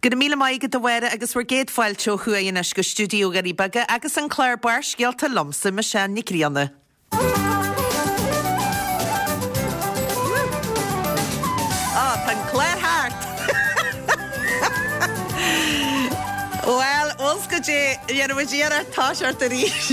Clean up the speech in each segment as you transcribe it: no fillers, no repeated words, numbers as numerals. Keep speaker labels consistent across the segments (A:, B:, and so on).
A: Go raibh míle maith agat a Mháire agus bhur gcéad fáilte ó thuaidh anois go stiúideo Dhoirí Beaga agus an clár Barrscéalta liomsa, Michelle Nic Grianna. Á, tá an clár thart! Bhuel, bhfuil 's goidé, dhéanfaidh muid iarracht toiseacht arís.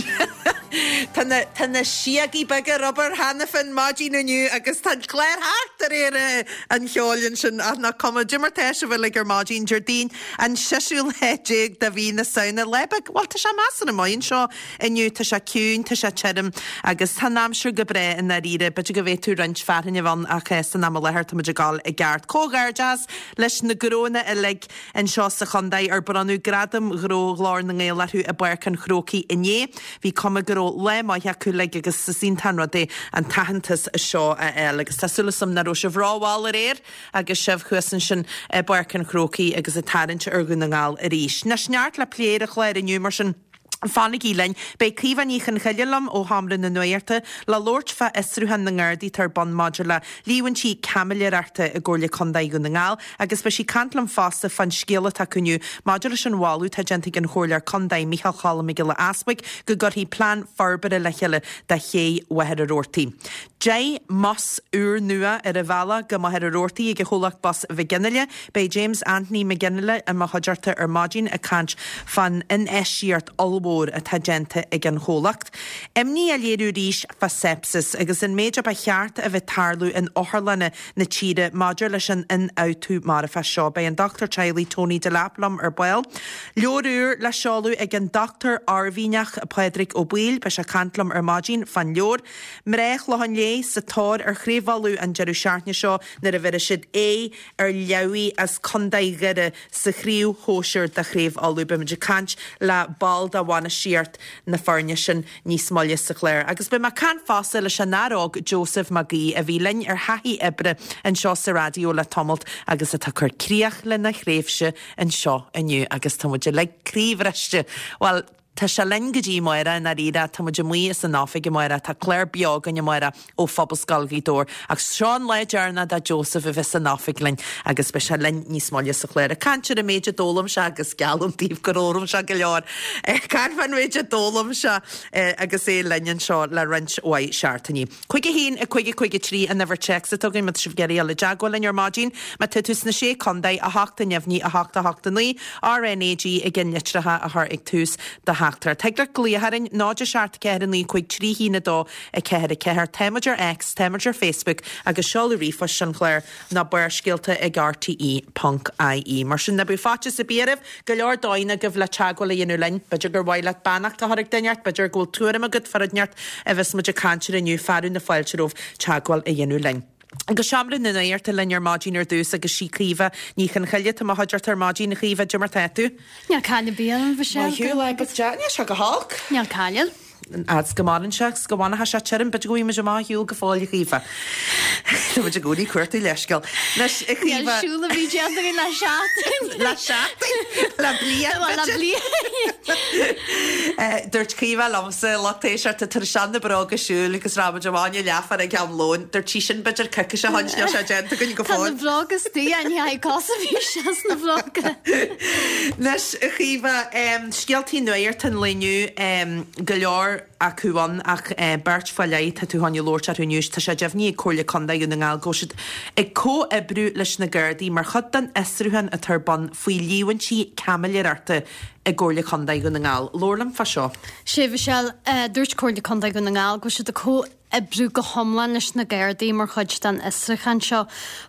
A: Tá na, tá na síogaí beaga ar obair cheana féin maidin inniu agus tá an clár thart de réir an cheoil ansin ach nach cuma, goidé mar tá sibh uilig ar maidin, Déardaoin an seisiú lá déag de mhí na Samhna, lá beag, bhuel tá sé measartha maith anseo inniu, tá sé ciúin, tá sé tirim agus tá an aimsir go breá i ndáiríre, b'fhéidir go bhféadfadh roinnt fearthainne a bheith ann ach san am i láthair tá muid ag gabháil i gceart. Comhghairdeas leis na gnóanna uilig anseo sa chontae ar bronnadh Gradam Ghnó Ghlór na nGael orthu i bPáirc an Chrócaigh inné. Bhí cuma go raibh lá maith acu uilig agus is iontach an rud é an t-aitheantas seo a fháil. Agus tá súil agam nach raibh sibh rómhall aréir agus sibh thuas ansin i bPáirc an Chrócaigh agus ag tarraingt ar Dhún na nGall arís. Anois neart le plé ar an chlár inniu mar sin fanaigí linn. Beidh Caoimhe Ní Chonchoille liom ó Sheomra na Nuachta le labhairt fá fhiosrúchán na nGardaí atá ar bun maidir le líomhaintí caimiléireachta i gComhairle Contae Dhún na nGall agus beidh sí ag caint liom fosta fán scéala atá acu inniu maidir leis an mholadh atá déanta ag an Chomhairleoir Contae Micheál Cholm Mac Giolla Easbuig go gcuirfí plean forbartha le chéile do ché Mhachaire Rabhartaigh. 10 mbus úrnua ar a bhealach go Machaire Rabhartaigh ag an chomhlacht bus Mhic Fhionnghaile. Beidh James Anthony Mac Fhionnghaile i mo chuideachta ar maidin ag caint fán infheistíocht ollmhór atá déanta ag an chomhlacht. Imní á léiriú arís fá sepsis agus an méid a ba cheart a bheith ag tarlú in otharlanna na tíre maidir leis an ionfhabhtú marfach seo. Beidh an dochtúir teaghlaigh Tony Delap liom ar ball. Leabhar úr le seoladh ag an Dochtúir Oirmhinneach Pádraig Ó Baoill. Beidh sé ag caint liom ar maidin fán leabhar. Mná Chlocháin Léith sa tóir ar Chraobh Uladh an deireadh seachtaine seo nuair a bheirfidh siad aghaidh ar Leamhaigh as Contae Dhoire sa chraobh shóisir de Chraobh Uladh. Beidh muid ag caint le ball de bhainistíocht na foirne sin níos moille sa chlár. Agus beidh mé ag caint fosta leis an fhear óg Joseph Mac Aoidh a bhí linn ar thaithí oibre anseo sa raidió le tamalt agus atá ag cur críoch lena thréimhse anseo inniu agus tá muid uilig croíbhriste. Bhuel, Tá sé linn go dtí amárach i ndáiríre, tá muid amuigh as an oifig amárach, tá clár beo againn amárach ó Phobalscoil Ghaoth Dobhair ach seo an lá deireanach do Joseph a bheith san oifig linn agus beidh sé linn níos moille sa chlár ag caint ar an méid a d'fhoghlaim sé agus geallaim daoibh gur fhoghlaim sé go leor ag caint fán mhéid a d'fhoghlaim sé agus é linn anseo le roinnt mhaith seachtainí. 5 1 5 5 3 an uimhir téacs atá againn má tá sibh ag iarraidh dul i dteagmháil linn ar maidin. Má tá tú sna Sé Contae, 8 neamhní 8 8 9, RnaG i gceannlitreacha a chur ag tús do theachtaireacht. Thig leat glaoch orainn, 0 7 4 9 5 3 1 2 4 4. Tá muid ar X, tá muid ar Facebook agus seoladh ríomhphoist an chláir ná barrscéalta ag rte ponc ie. Mar sin, ná bíodh faitíos ar bith oraibh, go leor dóigheanna agaibh le teagmháil a dhéanamh linn. B'fhéidir gur mhaith leat beannacht a chur ag duine inteacht, b'fhéidir go bhfuil tuairim agat fá rud inteacht a bheas muid ag caint air inniu, fearadh na fáilte romhaibh teagmháil a dhéanamh linn. Go seomra na nuachta linn ar maidin ar dtús agus sí Caoimhe Ní Chonchoille atá i mo chuideachta ar maidin. A Chaoimhe, goidé mar tá tú?
B: Níl caill ar bith orm, a Mhichelle.
A: Maith thú, lá beag deas. Níl sé go holc.
B: Níl caill.
A: Fhad 's go maireann sé agus go bhfanfaidh sé tirim, b'fhéidir go bhfaighidh muid amach ar shiúl go fóill, a Chaoimhe. Tá muid i gcónaí ag cuartú leithscéal. Anois, a
B: Níl
A: Chaoimhe.
B: siúl a bhí déanta againn le seachtain.
A: Le seachtain? Le bliain,
B: Bhuel, le
A: b'fhéidir.
B: bliain.
A: Dúirt Caoimhe liomsa, lucht éisteachta, tar éis na bróga siúil agus raibh muid amach i leathuair ag am lóin. Dúirt sí sin b'fhéidir coicís ó shin, níl sé déanta againn go
B: Tá na
A: fóill.
B: bróga istigh, ní haghaidh cos a bhí sé sna bróga.
A: Anois, a Chaoimhe, scéaltaí nuachta an lae inniu, go leor acu ann ach beirt fá leith atá tú chun labhairt orthu inniu. Tá sé deimhnithe ag Comhairle Contae Dhún na nGall go bhfuil siad ag comhoibriú leis na Gardaí mar chuid den fhiosrúchán atá ar bun faoi líomhaintí caimiléireachta i gComhairle Contae Dhún na nGall. Labhair liom fá seo.
B: Sea, a Mhichelle, dúirt Comhairle Contae Dhún na nGall go bhfuil siad ag comhoibriú go hiomlán leis na Gardaí mar chuid den fhiosrúchán seo.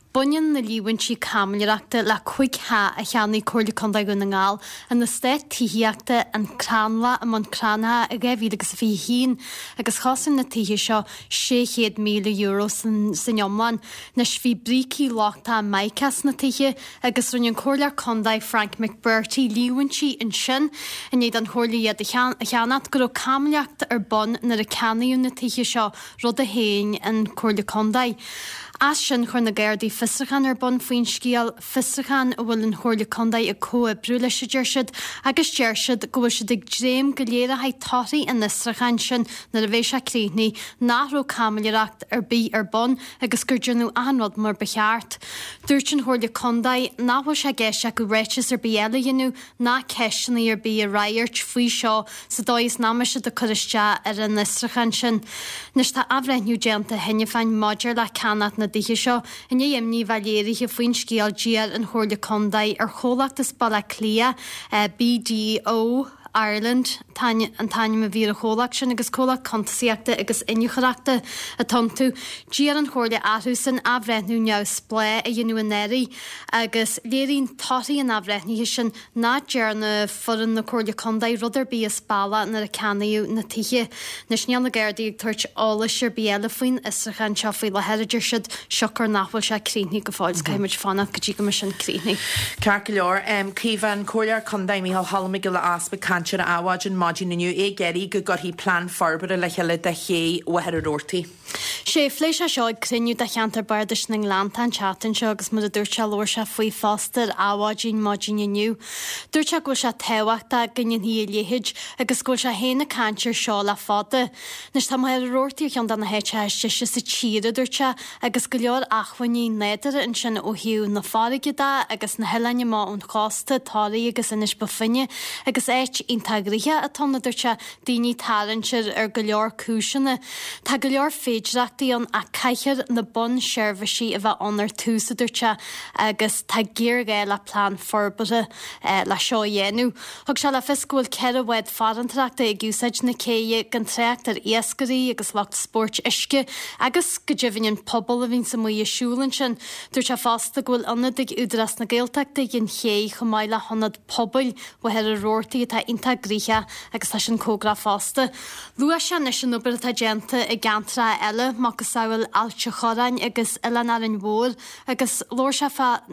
B: Baineann na líomhaintí caimiléireachta le 5 theach a cheannaigh Comhairle Contae Dhún na nGall in eastát tithíochta An Crannlach i mBun Cranncha i 2021 agus chosain na tithe seo €600,000 san iomlán. Anois bhí brící lochtacha mica sna tithe agus rinne an Comhairleoir Contae Frank McBrearty líomhaintí ansin i ndiaidh don Chomhairle iad a cheannacht go raibh caimiléireacht ar bun nuair a ceannaíodh na tithe seo, rud a shéan an Chomhairle Contae. As sin chuir na Gardaí fiosrúchán ar bun faoin scéal, fiosrúchán a bhfuil an Chomhairle Contae ag comhoibriú leis a deir siad, agus deir siad go bhfuil siad ag dréim go léireoidh torthaí an fhiosrúcháin sin nuair a bheidh sé críochnaithe nach raibh caimiléireacht ar bith ar bun agus gur déanadh achan rud mar ba cheart. Dúirt an Chomhairle Contae nach bhfuil sé i gceist acu ráiteas ar bith eile a dhéanamh ná ceisteanna ar bith a fhreagairt faoi seo sa dóigh is nach mbeidh siad ag cur isteach ar an fhiosrúchán sin. Anois tá athbhreithniú déanta cheana féin maidir le ceannach na dtithe seo. I ndiaidh imní a bheith léirithe faoin scéal d'iarr an Chomhairle Contae ar chomhlacht as Baile Átha Cliath, BDO Ireland an t-ainm a bhí ar an chomhlacht sin agus comhlacht cuntasaíochta agus iniúchóireachta atá iontu. D'iarr an Chomhairle orthusan athbhreithniú neamhspleách a dhéanamh anuraidh. Agus léiríonn torthaí an athbhreithnithe sin nach ndearna foireann na Comhairle Contae rud ar bith as bealach nuair a ceannaíodh na tithe. Anois níl na Gardaí ag tabhairt eolais ar bith eile faoin fhiosrúchán seo faoi láthair, a deir siad, siocair nach bhfuil sé críochnaithe go fóill. Caithfidh muid fanacht go dtí go mbeidh sin críochnaithe.
A: Ceart go leor. Caoimhe, an Comhairleoir Contae Micheál Cholm Mac Giolla Easpaig ag caint ar Adhmhaidin maidin inniu, é ag iarraidh go gcuirfí plean forbartha le chéile do ché Mhachaire Rabhartaigh.
B: Sea, phléigh sé seo ag cruinniú de cheantar Bardais na nGleanntach an tseachtain seo agus mar a dúirt sé labhair sé faoi fosta ar Adhmhaidin maidin inniu. Dúirt sé go bhfuil sé tábhachtach go ndéanfaí a leithéid agus go bhfuil sé féin ag caint ar seo le fada. Anois tá Machaire Rabhartaigh ar cheann de na háiteacha is deise sa tír, a dúirt sé, agus go leor acmhainní nádúrtha ansin ó thaobh na farraige de agus na hoileáin amach ón chósta, Toraigh agus Inis Bó Finne agus áit iontach gnoitheach atá ann, a dúirt sé. daoine ag tarraingt air ar go leor cúiseanna. Tá go leor féidireachtaí ann ach caithfear na bunseirbhísí a bheith ann ar tús, a dúirt sé, agus tá géarghá le plean forbartha le seo a dhéanamh. Thug sé le fios go bhfuil 4 bhád farantóireachta ag úsáid na céidhe, gan trácht ar iascairí agus lucht spóirt uisce agus go deimhin an pobal a bhíonns amuigh ag siúl ansin. Dúirt sé fosta go bhfuil ionad ag Údarás na Gaeltachta ag an chéidh chomh maith le hionad pobail Mhachaire Rabhartaigh atá iontach gnoitheach agus tá sin cóngarach fosta. Luaigh sé anois an obair atá déanta i gceantracha eile, macasamhail Ailt a' Chorráin agus Oileán Árainn Mhór agus labhair sé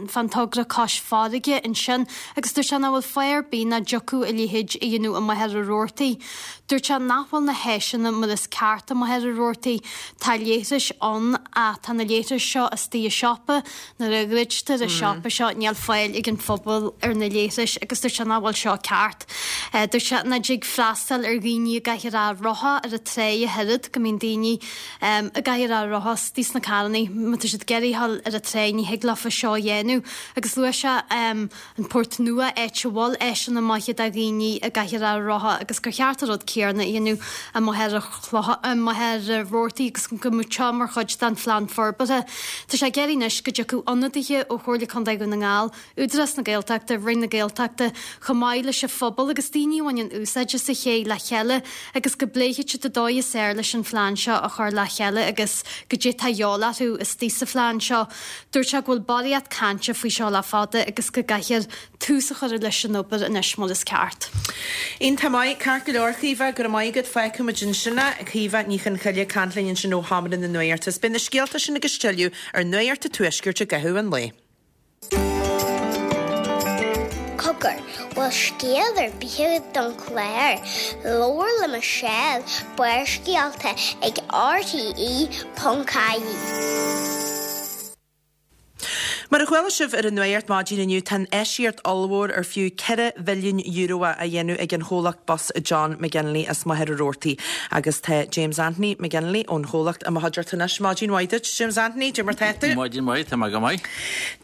B: fán togra Cois Farraige ansin agus dúirt sé nach bhfuil fáth ar bith nach dtiocfadh a leithéid a dhéanamh i Machaire Rabhartaigh. Dúirt sé nach bhfuil na háiseanna mar is ceart i Machaire Rabhartaigh. Tá leithris ann ach tá na leithris seo istigh i siopa Nuair a dhruidtear an siopa seo níl fáil ag an phobal ar na leithris agus dúirt sé nach bhfuil seo ceart. Dúirt sé nach dtig freastal ar dhaoine i gcathaoir rotha ar an tráigh ach oiread, go mbíonn daoine i gcathaoir rotha istigh sna carrannaí má tá siad ag iarraidh a dhul ar an tráigh ní thig leofa seo a dhéanamh agus luaigh sé an Port Nua, áit a bhfuil áiseanna maithe do dhaoine i gcathaoir rotha agus gur cheart an rud céanna a dhéanamh i Machaire Chlocha, Machaire Rabhartaigh agus go mbeadh seo mar chuid den phlean forbartha. Tá sé ag iarraidh anois go dtiocfadh ionadaithe ó Chomhairle Contae Dhún na nGall, Údarás na Gaeltachta, Roinn na Gaeltachta, chomh maith leis an phobal agus daoine a bhaineann úsáid as an ché le chéile agus go bpléifidh siad an dóigh is fearr leis an phlean seo a chur le chéile agus goidé atá de dhíobháil orthu istigh sa phlean seo. Dúirt sé go bhfuil barraíocht cainte faoi seo le fada agus go gcaithfear tús a chur leis an obair anois mar is ceart.
A: Iontach maith, ceart go leor, Caoimhe, go raibh maith agat. Fágfaidh muid ansin é. Caoimhe Ní Chonchoille ag caint linn ansin ó Sheomra na Nuachta. Is beidh na scéalta sin agus tuilleadh ar Nuacht an Tuaiscirt i gcaitheamh an lae.
C: Cogar, bhfuil scéal ar bith agat don chlár? Labhair le Michelle, Barrscéalta ag RTE.ie.
A: Mar a chuala sibh ar an Nuacht maidin inniu, tá infheistíocht ollmhór ar fiú €4 bhilliún á á dhéanamh ag an chomhlacht bus John McGinley as Machaire Rabhartaigh agus tá James Anthony McGinley ón chomhlacht i mo chuideachta anois. Maidin mhaith duit, James Anthony, cad é mar tá tú?
D: Maidin mhaith, tá mé go maith.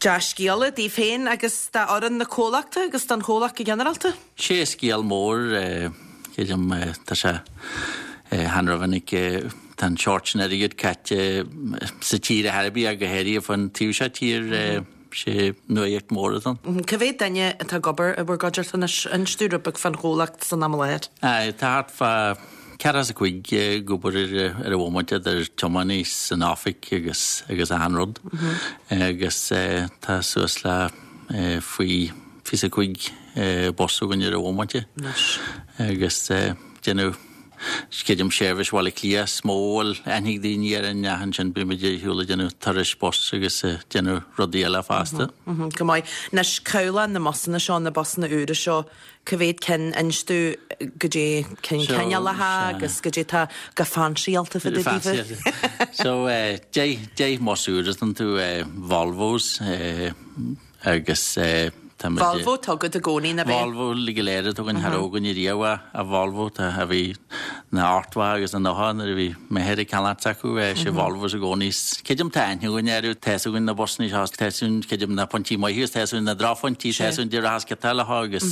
A: Dea-scéala daoibh féin agus d'fhoireann na comhlachta agus don chomhlacht go ginearálta?
D: Sé scéal mór, creidim, tá sé chan rómhinic tá an seort sin airgid caite sa tír ar chor ar bith ach go háirithe fán taobh seo tíre, sé nuaíocht mór atá
A: ann. Cá mhéad duine atá ag obair i bhur gcuideachta anois? Inis dúinn rud beag fán chomhlacht san am i láthair.
D: Aye, tá thart fá 45 ag obair ar an bhomaite idir tiománaí san oifig agus agus achan rud agus tá suas le faoi 25 bus againn ar an bhomaite agus déanamh. Creidim seirbhís Bhaile Átha Cliath is mó a bhfuil aithne ag daoine orainn ach ansin bíonn muid ar shiúl ag déanamh turais bus agus ag déanamh rudaí eile fosta.
A: Go maith. Anois, cabhlach na mbusanna seo, na busanna úra seo, cá mhéad cinn, inis domh goidé cén cineálacha agus goidé tá go fancy-álta fá dtaobh
D: daofa. So, 10 mbus úr atá iontu, Volvos, agus tá muid.
A: Volvo atá agat i gcónaí, ná
D: bea? Volvo go léir atá againn, cha raibh againn ariamh ach Volvo, tá, a bhí na ochtmhá agus na nócha nuair a bhí m'athair ag ceannacht s'acu, sé Volvos i gcónaí. Creidim tá aithne againn orthu, tá fhios againn na busanna seo, tá fhios againn, creidim na pointí maithe agus tá fhios againn na drochphointí, tá fhios againn goidé rachas ciotáil leo agus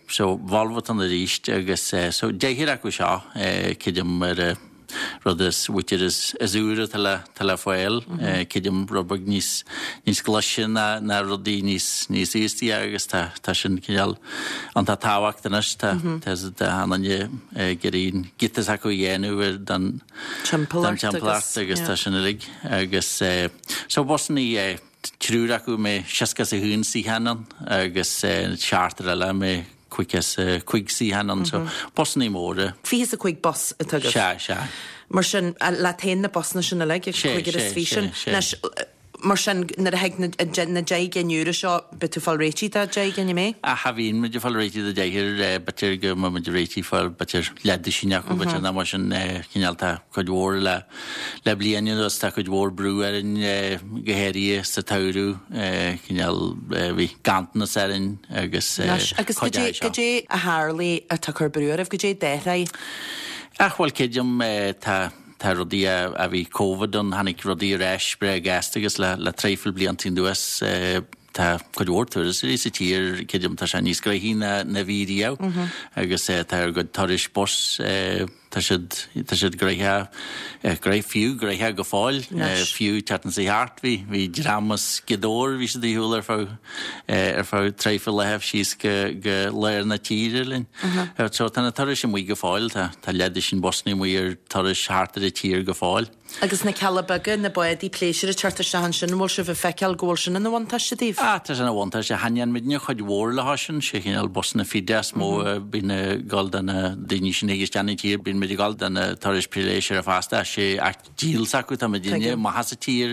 D: so Volvo atá ann arís agus so deichniúr acu seo, creidim ar a. rud is b'fhéidir is úire atá le atá le fáil. Creidim rud beag níos níos glaise ná ná rudaí níos níos aostaí agus tá tá sin cineál iontach tábhacht anois. Tá tá tá an duine ag iarraidh an giota s'acu a dhéanamh ar don
A: don
D: timpeallacht agus tá sin uilig agus so busannaí triúr acu mbeidh 61 suíochán ann agus seachtar eile mbeidh 55 suíochán ann so busannaí móra.
A: 25 bus atá agaibh?
D: Sea, sea.
A: Mar sin, leat féin na busanna sin uilig,
D: Sea,
A: cúigear is
D: sea,
A: fiche sin.
D: sea, sea.
A: Anois, mar sin, nuair a thig na, na 10 gcinn úra seo, beidh tú ag fáil réitithe do 10 gcinn, an mbeidh?
D: Ach cha bhíonn muid ag fáil réitithe do deichniúr, b'fhéidir go mbeidh muid réitithe ag fáil b'fhéidir leathduisín acu, b'fhéidir nach mar sin, cineál tá cuid mhór le, Le bliain anuas tá cuid mhór brú orainn, go háirithe sa tsamhradh, cineál, bhí ganntanas orainn agus
A: Anois, agus
D: cuid
A: goidé,
D: de seo.
A: goidé a tharlaigh atá ag cur brú oraibh, goidé d'athraigh?
D: Ach bhuel, creidim, tá, tá rudaí a, a bhí Covid ann, tháinig rudaí ar ais breá gasta agus le, le traidhfil blianta anuas, tá cuid mhór turasóirí sa tír, creidim, tá sé níos gnoithí ná, ná bhí riamh agus tá ár gcuid turais bus, Tá siad, tá siad gnoitheach, gnoitheach, fiú gnoitheach go fóill, fiú tseachtain seo thart bhí, bhí dream as Gaoth Dobhair, bhí siad ar shiúl ar feadh, ar feadh traidhfil laethibh síos go, go lár na tíre linn. So tá na turais amuigh go fóill, tá, tá leathduisín busanna amuigh ar turais thart ar an tír go fóill.
A: Agus na cealla beaga, na bádaí pléisiúir ag teacht isteach ansin, an bhfuil sibh ag feiceáil go bhfuil sin ina bhuntáiste daoibh?
D: Ah, tá sé ina bhuntáiste. Cha ndéanann muidne cuid mhór leo sin, sé chineál busanna fada is mó a bhíonn ag dul do na daoine sin a thig isteach 'na tír. Bíonn muid ag dul do na turais pléisiúir fosta, ach sé ach díol s'acu tá muidne amach as an tír,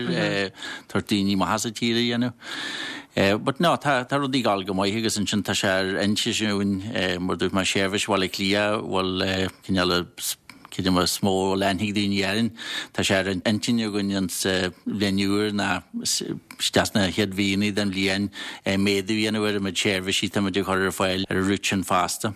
D: tabhairt daoine amach as an tír a dhéanamh. But no, tá tá rudaí ag dul go maith agus ansin tá sé ar intinn againn, mar dúirt mé, seirbhís Bhaile Átha Cliath, bhfuil cineál Creidim is mó a bhfuil aithne ag daoine orainn. Tá sé ar intinn againn insa bhliain úr ná isteach sna chéad mhíonna den bhliain méadú a dhéanamh ar an méid seirbhísí atá muid ag cur ar fáil ar an route sin fosta.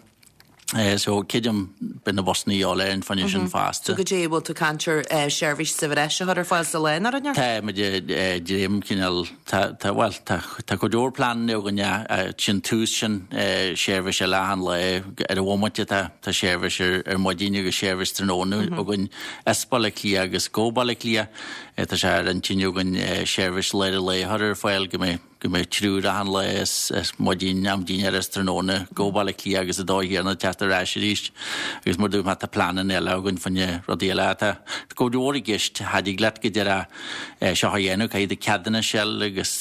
D: So creidim beidh na busanna a dhíobháil orainn fá choinne sin fosta.
A: So goidé bhfuil tú ag caint ar seirbhís sa bhreis a chur ar fáil sa lá nó rud
D: Tá muid ag dréim cineál Tá, tá, bhuel, tá, tá cuid mhór pleananna againn sin tús sin seirbhís eile achan lá ar an bhomaite tá, tá seirbhís ar, ar maidin agus seirbhís tráthnóna againn as Baile Átha Cliath agus go Baile Átha Cliath. Tá sé ar intinn againn seirbhís lár an lae a chur ar fáil go mbeidh, go mbeidh triúr achan lá as, as maidin, am dinnéara is tráthnóna go Baile Átha Cliath agus an dóigh chéanna teacht ar ais arís. Agus mar dúirt mé tá pleananna eile againn fá choinne rudaí eile. Tá cuid mhór i gceist, cha dtig leat go díreach seo a dhéanamh, caithfidh tú ceadúnas a fháil agus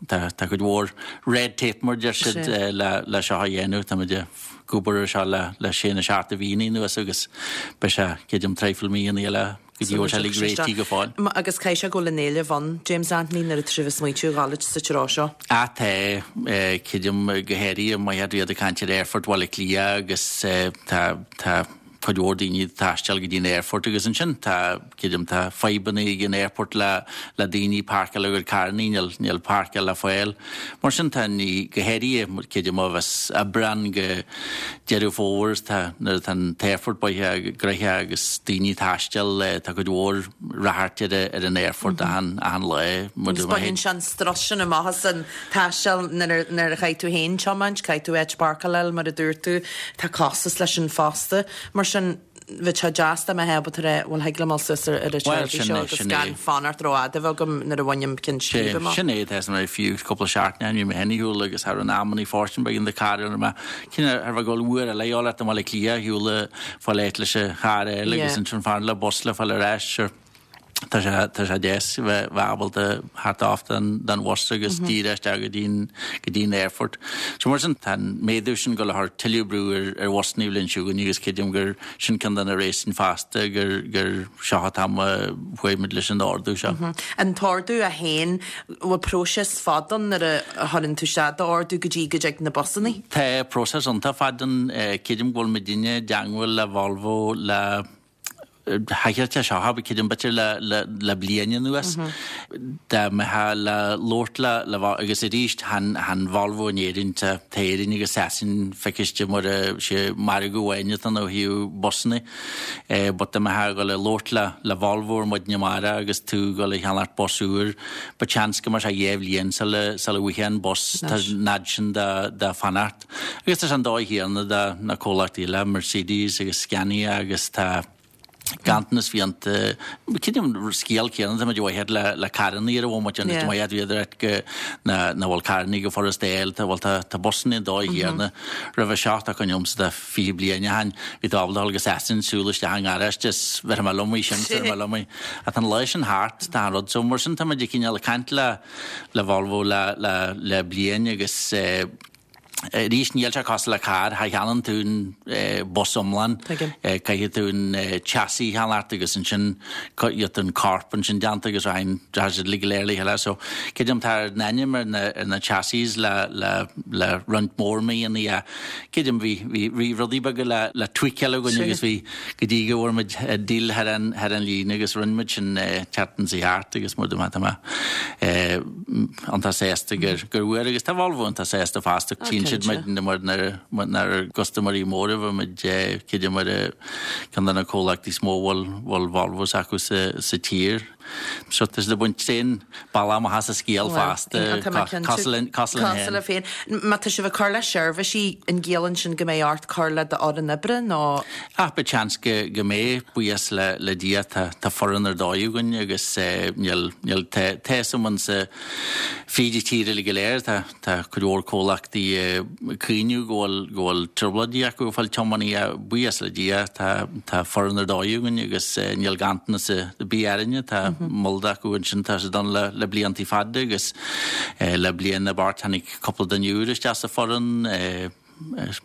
D: tá cuid mhór red tape mar deir siad le seo a dhéanamh. Tá muid ag obair ar seo le sé nó seacht de mhíonna anuas agus beidh sé, creidim, traidhfil míonna eile go dtí go bhfuil sé uilig réitithe go fóill.
A: Agus caithfidh sé go bhfuil an éileamh ann, James Anthony, nuair atá sibh ag smaointiú a ghabháil sa treo seo.
D: Ah tá, creidim go háirithe má tá iad ag caint ar Aerfort Bhaile Átha Cliath agus tá, tá, cuid mhór daoine ag taisteal go dtí an aerfort agus ansin tá, creidim, tá fadhbanna ag an aerfort le, le daoine páirceáil a gcuid carrannaí, níl, níl páirceáil le fáil. Mar sin tá ní, go háirithe, creidim ó bheas Aibreán go Deireadh Fómhair, tá, nuair atá an t-aerfort buaithe, gnoitheach agus daoine ag taisteal, tá cuid mhór ráchairt ar, ar an aerfort achan, achan lá.
A: Agus baineann sé an strus sin amach as an taisteal nuair a chaithfidh tú féin tiomáint, caithfidh tú áit páirceáil a fháil mar a dúirt tú, tá costas leis sin fosta. Mar sin, bheadh sé deas dá mbeifeá ábalta rá, bhuel thig liom dul suas ar an tseirbhís seo agus gan fanacht rófhada a bheith agam nuair a bhainim ceann scríbe amach.
D: Sin é, tá mé fiú cúpla seachtain ó shin, bhí mé féin ar shiúl agus thar an amannaí fóirstean beag in the car ar mé cinneadh ar bheith ag dul uair eile a fháil ort i mBaile Átha Cliath ar shiúl fáil áit leis an charr eile agus ansin fanacht le bus le fáil ar ais. Tá sé, tá sé deas bheith, bheith ábalta theacht off den, den bhus agus díreach isteach go dtí an, go dtí an aerfort. So mar sin, tá an méadú sin ag dul a chur tuilleadh brú ar, ar bhusanna an bhliain seo chugainn agus creidim gur sin ceann de na réasúin fosta gur, gur seo an t-am a chuaigh muid leis an ardú seo.
A: An t-ordú é féin, bhfuil próiseas fada ann nuair a chuireann tú isteach d'ordú go dtí go dtig na busanna?
D: Tá próiseas iontach fada ann. Creidim go bhfuil muidinne i dteangmháil le Volvo le, Thaighde seo, creidim b'fhéidir le bliain anuas, dá mbeifeá le labhairt le le agus arís chan Volvo in Éirinn, tá Éirinn agus Sasain feiciste mar sé margadh amháin atá ann ó thaobh busanna. But dá mbeifeá ag dul a labhairt le le Volvo ar maidin amárach agus tú ag dul a cheannacht bus úr, but seans go mbeadh sé 2 bhliain sula sula bhfaighfeá an bus, tá an fhad sin de fanacht. Agus tá sé an dóigh chéanna do na comhlachtaí eile, Mercedes agus Scania agus tá ganntanas fiánta, creidim an scéal céanna tá muid a mhaith le le carrannaí ar an bhomaite an maith bhíodar ait go na na bhfuil carrannaí go furast a fháil tá bhuel tá tá busanna an dóigh chéanna roimhe seo tá cuimhne agamsa de 20 bliain ó shin bhí tú ábalta dul go Sasain siúl isteach i ngaráiste is bheirfidh mé liom í sin bheirfidh mé liom í ach tá an lá sin thart tá an rud so mar sin tá muid ag cineál ag caint le le Volvo le le le bliain agus eh Arís, níl sé cosúil le carr, cha cheannaíonn tú an bus iomlán, caithfidh tú an chassis a cheannacht agus ansin gheobhaidh tú an corp ansin déanta agus rachaidh siad uilig go léir le chéile. So, creidim tá ár n-ainm ar na ar na chassis le le le roinnt mór míonna ach creidim bhí bhí bhí rudaí beaga le le tweakáil againn agus bhí go dtí go bhfuair muid deal thar an thar an líne agus rinne muid sin tseachtain seo thart agus mar tá mé iontach sásta gur gur bhfuair agus tá Volvo iontach sásta fosta tchíonn siad muid mar inár gcustaiméirí móra bhí muid creidim ar ceann de na comhlachtaí is mó a bhfuil bhfuil Volvos acu sa sa tír. So tá siad ag baint tréan bealach amach as an scéal fosta cosúil linn cosúil
A: linn féin. Má tá sibh ag cur le seirbhísí an gciallaíonn sin go mbeidh ort cur le d'fhoireann oibre nó?
D: Ach beidh seans go go mbeidh, buíochas le le Dia tá tá foireann ar dóigh againn agus níl níl tá tá a fhios agam sa fríd an tír uilig go léir tá tá cuid mhór comhlachtaí ag caoineadh go bhfuil go bhfuil trioblóidí acu ag fáil tiománaí ach buíochas le Dia tá tá foireann ar dóigh againn agus níl ganntanas ar bith orainne tá moll acu ansin tá siad ann le le bliantaí fada agus le bliain nó beirt tháinig cúpla duine úr isteach sa foireann.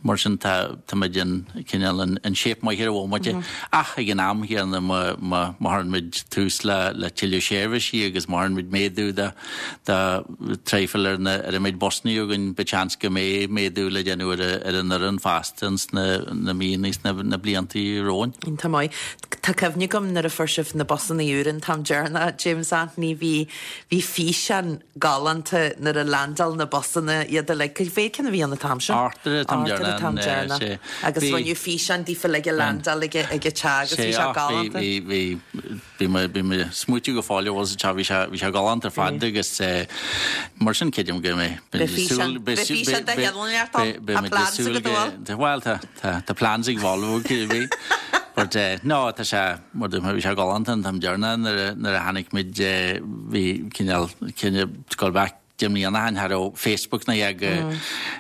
D: Mar sin tá muid in cineál in shape maith ar an bhomaite. Ach ag an am chéanna má chuireann muid tús le tuilleadh seirbhísí agus má chuireann muid méadú de traidhfil ar an méid busanna againn beidh seans go mbeidh méadú le déanamh ar an fhoireann feasta ins na míonna is na blianta romhainn.
A: Iontach maith. Tá cuimhne agam nuair a fuair sibh na busanna úra an t-am deireanach, James Anthony, bhí bhí físeán galánta nuair a leaindeáil na busanna iad uilig. Cé mhéad ceann a bhí ann an t-am sin?
D: Ochtar an t-am
A: deireanach. Ochtar an t-am deireanach. Agus rinneadh físeán daofa uilig ag leaindeáil ag an teach agus bhí sé galánta.
D: Bhí, bhí, bhí mé, bhí mé ag smaoitiú go fóill ar bhus an teach, bhí sé, bhí sé galánta ar fad agus mar sin creidim go mbeidh,
A: beidh físeán, beidh físeán de sheanleacht ann. Tá plans agat an
D: bhfuil? Bhuel tá, tá, tá plans ag Volvo cibé. But no, tá sé, mar dúirt mé, bhí sé galánta an t-am deireanach nuair a, nuair a tháinig muid, bhí cineál, cineál, go back 10 mbliana ó shin, cha raibh Facebook ná a dhath go,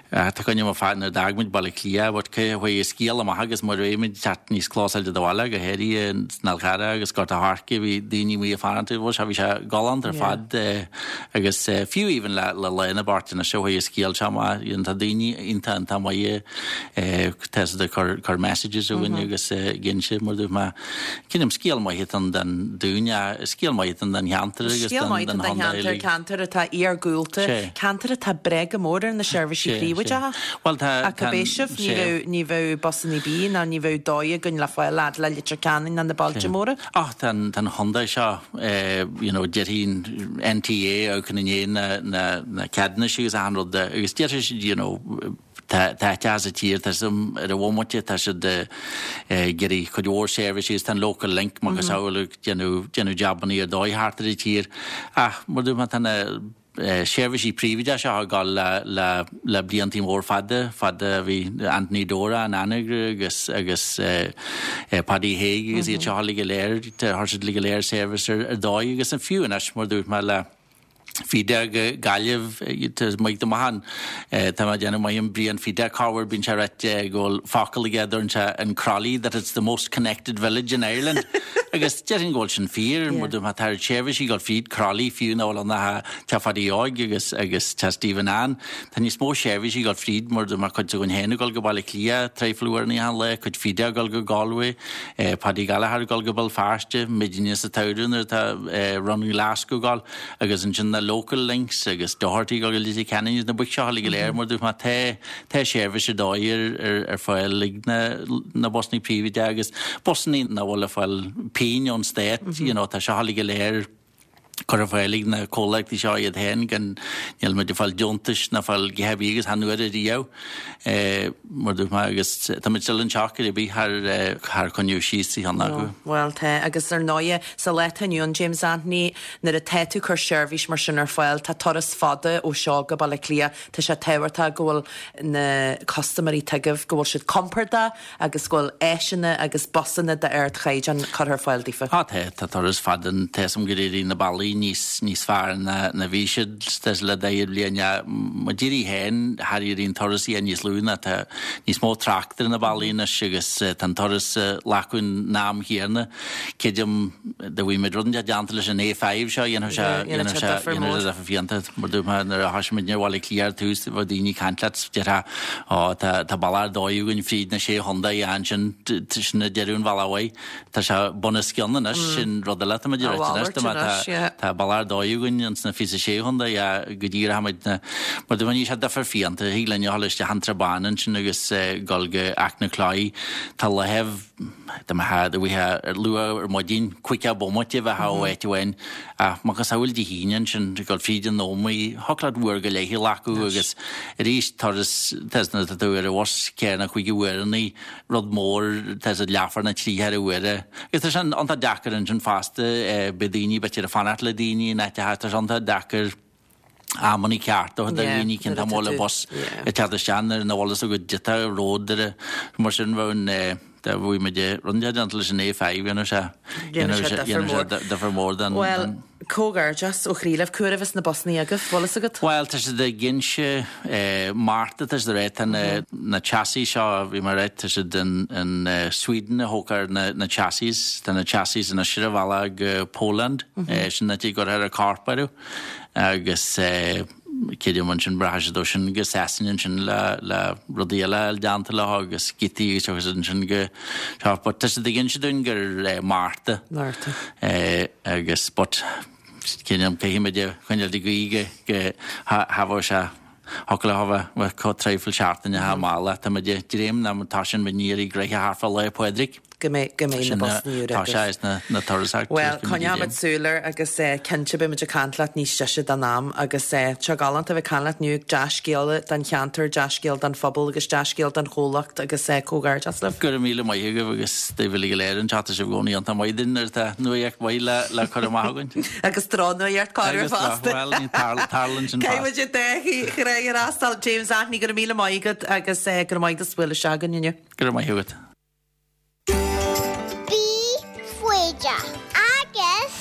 D: tá cuimhne agam fad nuair a d'fhág muid Baile Átha Cliath, but cé chuaigh an scéal amach agus mar bhí muid ag teacht níos clósáilte do bhaile, go háirithe san Fhál Carrach agus Gort a' Choirce, bhí daoine amuigh ag fanacht, bhuel sea, bhí sé galánta ar fad agus fiú even le le lá na beartaine seo chuaigh an scéal seo amach, you know, tá daoine iontach iontach maith tá siad ag cur cur messages chugainn agus ag inse mar dúirt mé, Creidim scéal maith atá ann don dún, scéal maith atá ann don cheantar agus
A: Scéal maith atá don cheantar, ceantar atá iargúlta, ceantar atá ag brath go mór ar na seirbhísí príobháideacha.
D: Bhuel tá,
A: Ach cibé sibh, ní bheadh, ní bheadh busanna ar bith ná ní bheadh dóigh againn le fáil fhad le Leitir Ceanainn ná na bailte móra.
D: Ach tá an, tá an chontae seo, you know, déarfaidh an NTA amharcann i ndiaidh na, na, na ceadúnais agus achan rud agus déarfaidh siad, you know, Tá áiteacha sa tír, tá siad ar an bhomaite, tá siad ag iarraidh cuid mhór seirbhísí agus tá an Local Link macasamhail ag déanamh déanamh jabannaí ar dóigh thart ar an tír. Ach mar dúirt mé tá na seirbhísí príobháideacha seo ag dul le le le bliantaí mór fada, fada a bhí Anthony Dora in Anagaire agus agus Paddy Hague agus iad seo uilig go léir, chuir siad uilig go léir seirbhís ar dóigh agus fiú anois mar dúirt mé le. Feeder go Gaillimh, tá maith go maith ann. Tá mé ag déanamh maith an Brian Feeder corruair bíonn sé ag ráit go bhfuil focal aige a deireann sé in Crolly that it's the most connected village in Ireland. Agus déarfainn go bhfuil sin fíor, mar má tá seirbhísí ag dul fríd Crolly fiú nach bhfuil ann ach teach Phadaí Óig agus agus teach Stephen Ann. Tá níos mó seirbhísí ag dul fríd mar má cuid againn féin ag dul go Baile Átha Cliath traidhfil uaireanna achan lá, cuid Feeder ag dul go Galway, Paddy Gallagher ag dul go Béal Feirste, muidne sa tsamhradh nuair atá Run Glasgow ag dul. Agus ansin na local links agus Doherty go Leitir Ceanainn na boic seo uilig go léir mar dúirt mé tá tá seirbhís ar dóigh ar ar ar fáil ag na na busannaí príobháideacha agus busannaí nach bhfuil ag fáil pingin ón stát you know tá seo uilig go léir curtha ar fáil ag na comhlachtaí seo iad féin gan níl muid ag fáil deontais ná fáil a dhath ar bith agus chan uair ariamh mar dúirt mé agus tá muid still anseo ar bith thar thar coinneoidh síos sa cheann acu.
A: Bhuel tá agus ar ndóighe sa lá atá inniu ann James Anthony nuair atá tú ag cur seirbhís mar sin ar fáil tá turas fada ó seo go Baile Átha Cliath tá sé tábhachtach go bhfuil na custaiméirí atá agaibh go bhfuil siad compordach agus go bhfuil áiseanna agus busanna d'ardchaighdeán curtha ar fáil daofa.
D: Á tá, tá turas fada ann. Tá 'fhios a'm gur éirigh na bealaí níos, níos fearr ná, ná bhí siad le daichead bliain. Mo d'éirigh féin, thar éirigh an turas a níos lú ná tá níos mó trácht ar na bealaí anois agus tá an turas glacadh an am chéanna. Creidim dá bhfuil muid rud inteacht déanta leis an A5 seo, dhéanfadh sé, dhéanfadh sé, dhéanfadh sé difear fiúntach. Mar dúirt mé nuair a thoisigh muidne ar Bhaile Átha Cliath ar tús, bheadh daoine ag caint leat, déarfá, Ó, tá, tá bealach ar dóigh againn fríd na sé chontae, ansin, sin ag deireadh an bhealaigh uaidh. Tá sé bunoscionn anois, sin rud eile atá muid ag rá anois, tá, tá bealach ar dóigh againn ins na 26 chontae, go díreach muid na, mar dúirt mé, níl sé difear fiúntach, thig linn a dhul isteach an tSrath Bán ansin agus dul go Achnacloich, tá láimh, Dá mbeifeá do bheifeá luath ar maidin, caoga bomaite a bheifeá ó áit amháin, ach macasamhail Dé hAoine ansin, ag dul fríd an Ómaigh, thiocfadh leat uair go leith a ghlacadh agus arís turas, tá nuair atá tú ar an bhus ceithre nó cúig uaireannaí, rud mór, tá siad leathuair nó trí cheathrú uaire. Agus tá sé iontach deacair ansin fosta, beidh daoine, b'fhéidir ag fanacht le daoine in áiteacha, tá sé iontach deacair. amanna cearta do dhaoine cén t-am a bhfuil an bus ag teacht isteach nuair nach bhfuil fhios agat goidé an ród ar mar sin bheadh an dá bhfuil muid rud inteacht déanta leis an A5 dhéanfadh sé dhéanfadh sé difear mór don
A: Bhuel, comhghairdeas ó chroí libh. Cá huair a bheas na busannaí agaibh, bhfuil fhios agat?
D: Bhuel, tá siad ag inse Márta, tá siad ag rá, tá na chassis seo, bhí mé ag rá, tá siad in Sweden a thógfar na chassis, tá na chassis anois ar a bhealach go Poland, sin an áit a gcuirfear an corp orthu. Agus creidim ansin rachaidh siad ó sin go Sasana ansin le le rudaí eile a fháil déanta leo agus giotaí agus tiocfaidh siad ansin go seo but tá siad ag inse dúinn gur Márta.
A: Márta.
D: Agus but creidim caithfidh muid a choinneáil ag guí go go thabharfadh sé Thiocfadh leo a bheith chomh traidhfil seachtaine thar maille. Tá muid ag dréim ná tá sin muid ní iarraidh gnoithe thart fá Lá Pádraig.
A: Go mbeidh, go mbeidh na busannaí úra
D: Tá sé is na, na turasóirí.
A: Bhuel, coinneoidh muid súil air agus cinnte beidh muid ag caint leat níos deise den am agus tá sé galánta a bheith ag caint leat inniu, dea-scéala don cheantar, dea-scéal don phobal agus dea-scéal don chomhlacht agus comhghairdeas libh.
D: Go raibh míle maith agaibh agus daoibh uilig go léir anseo, tá sibh i gcónaí iontach maith dúinn nuair atá nuaíocht mhaith le, le cur amach againn.
A: Agus drochnuaíocht corruair fosta.
D: Bhuel, ní tarlaíonn sin
A: fosta. Caithfidh muid an dá thráigh a fhreastal. James Anthony, go raibh míle maith agat agus go raibh maith agat as bualadh isteach chugainn inniu.
D: Go raibh maith agat.
C: Bí foighdeach agus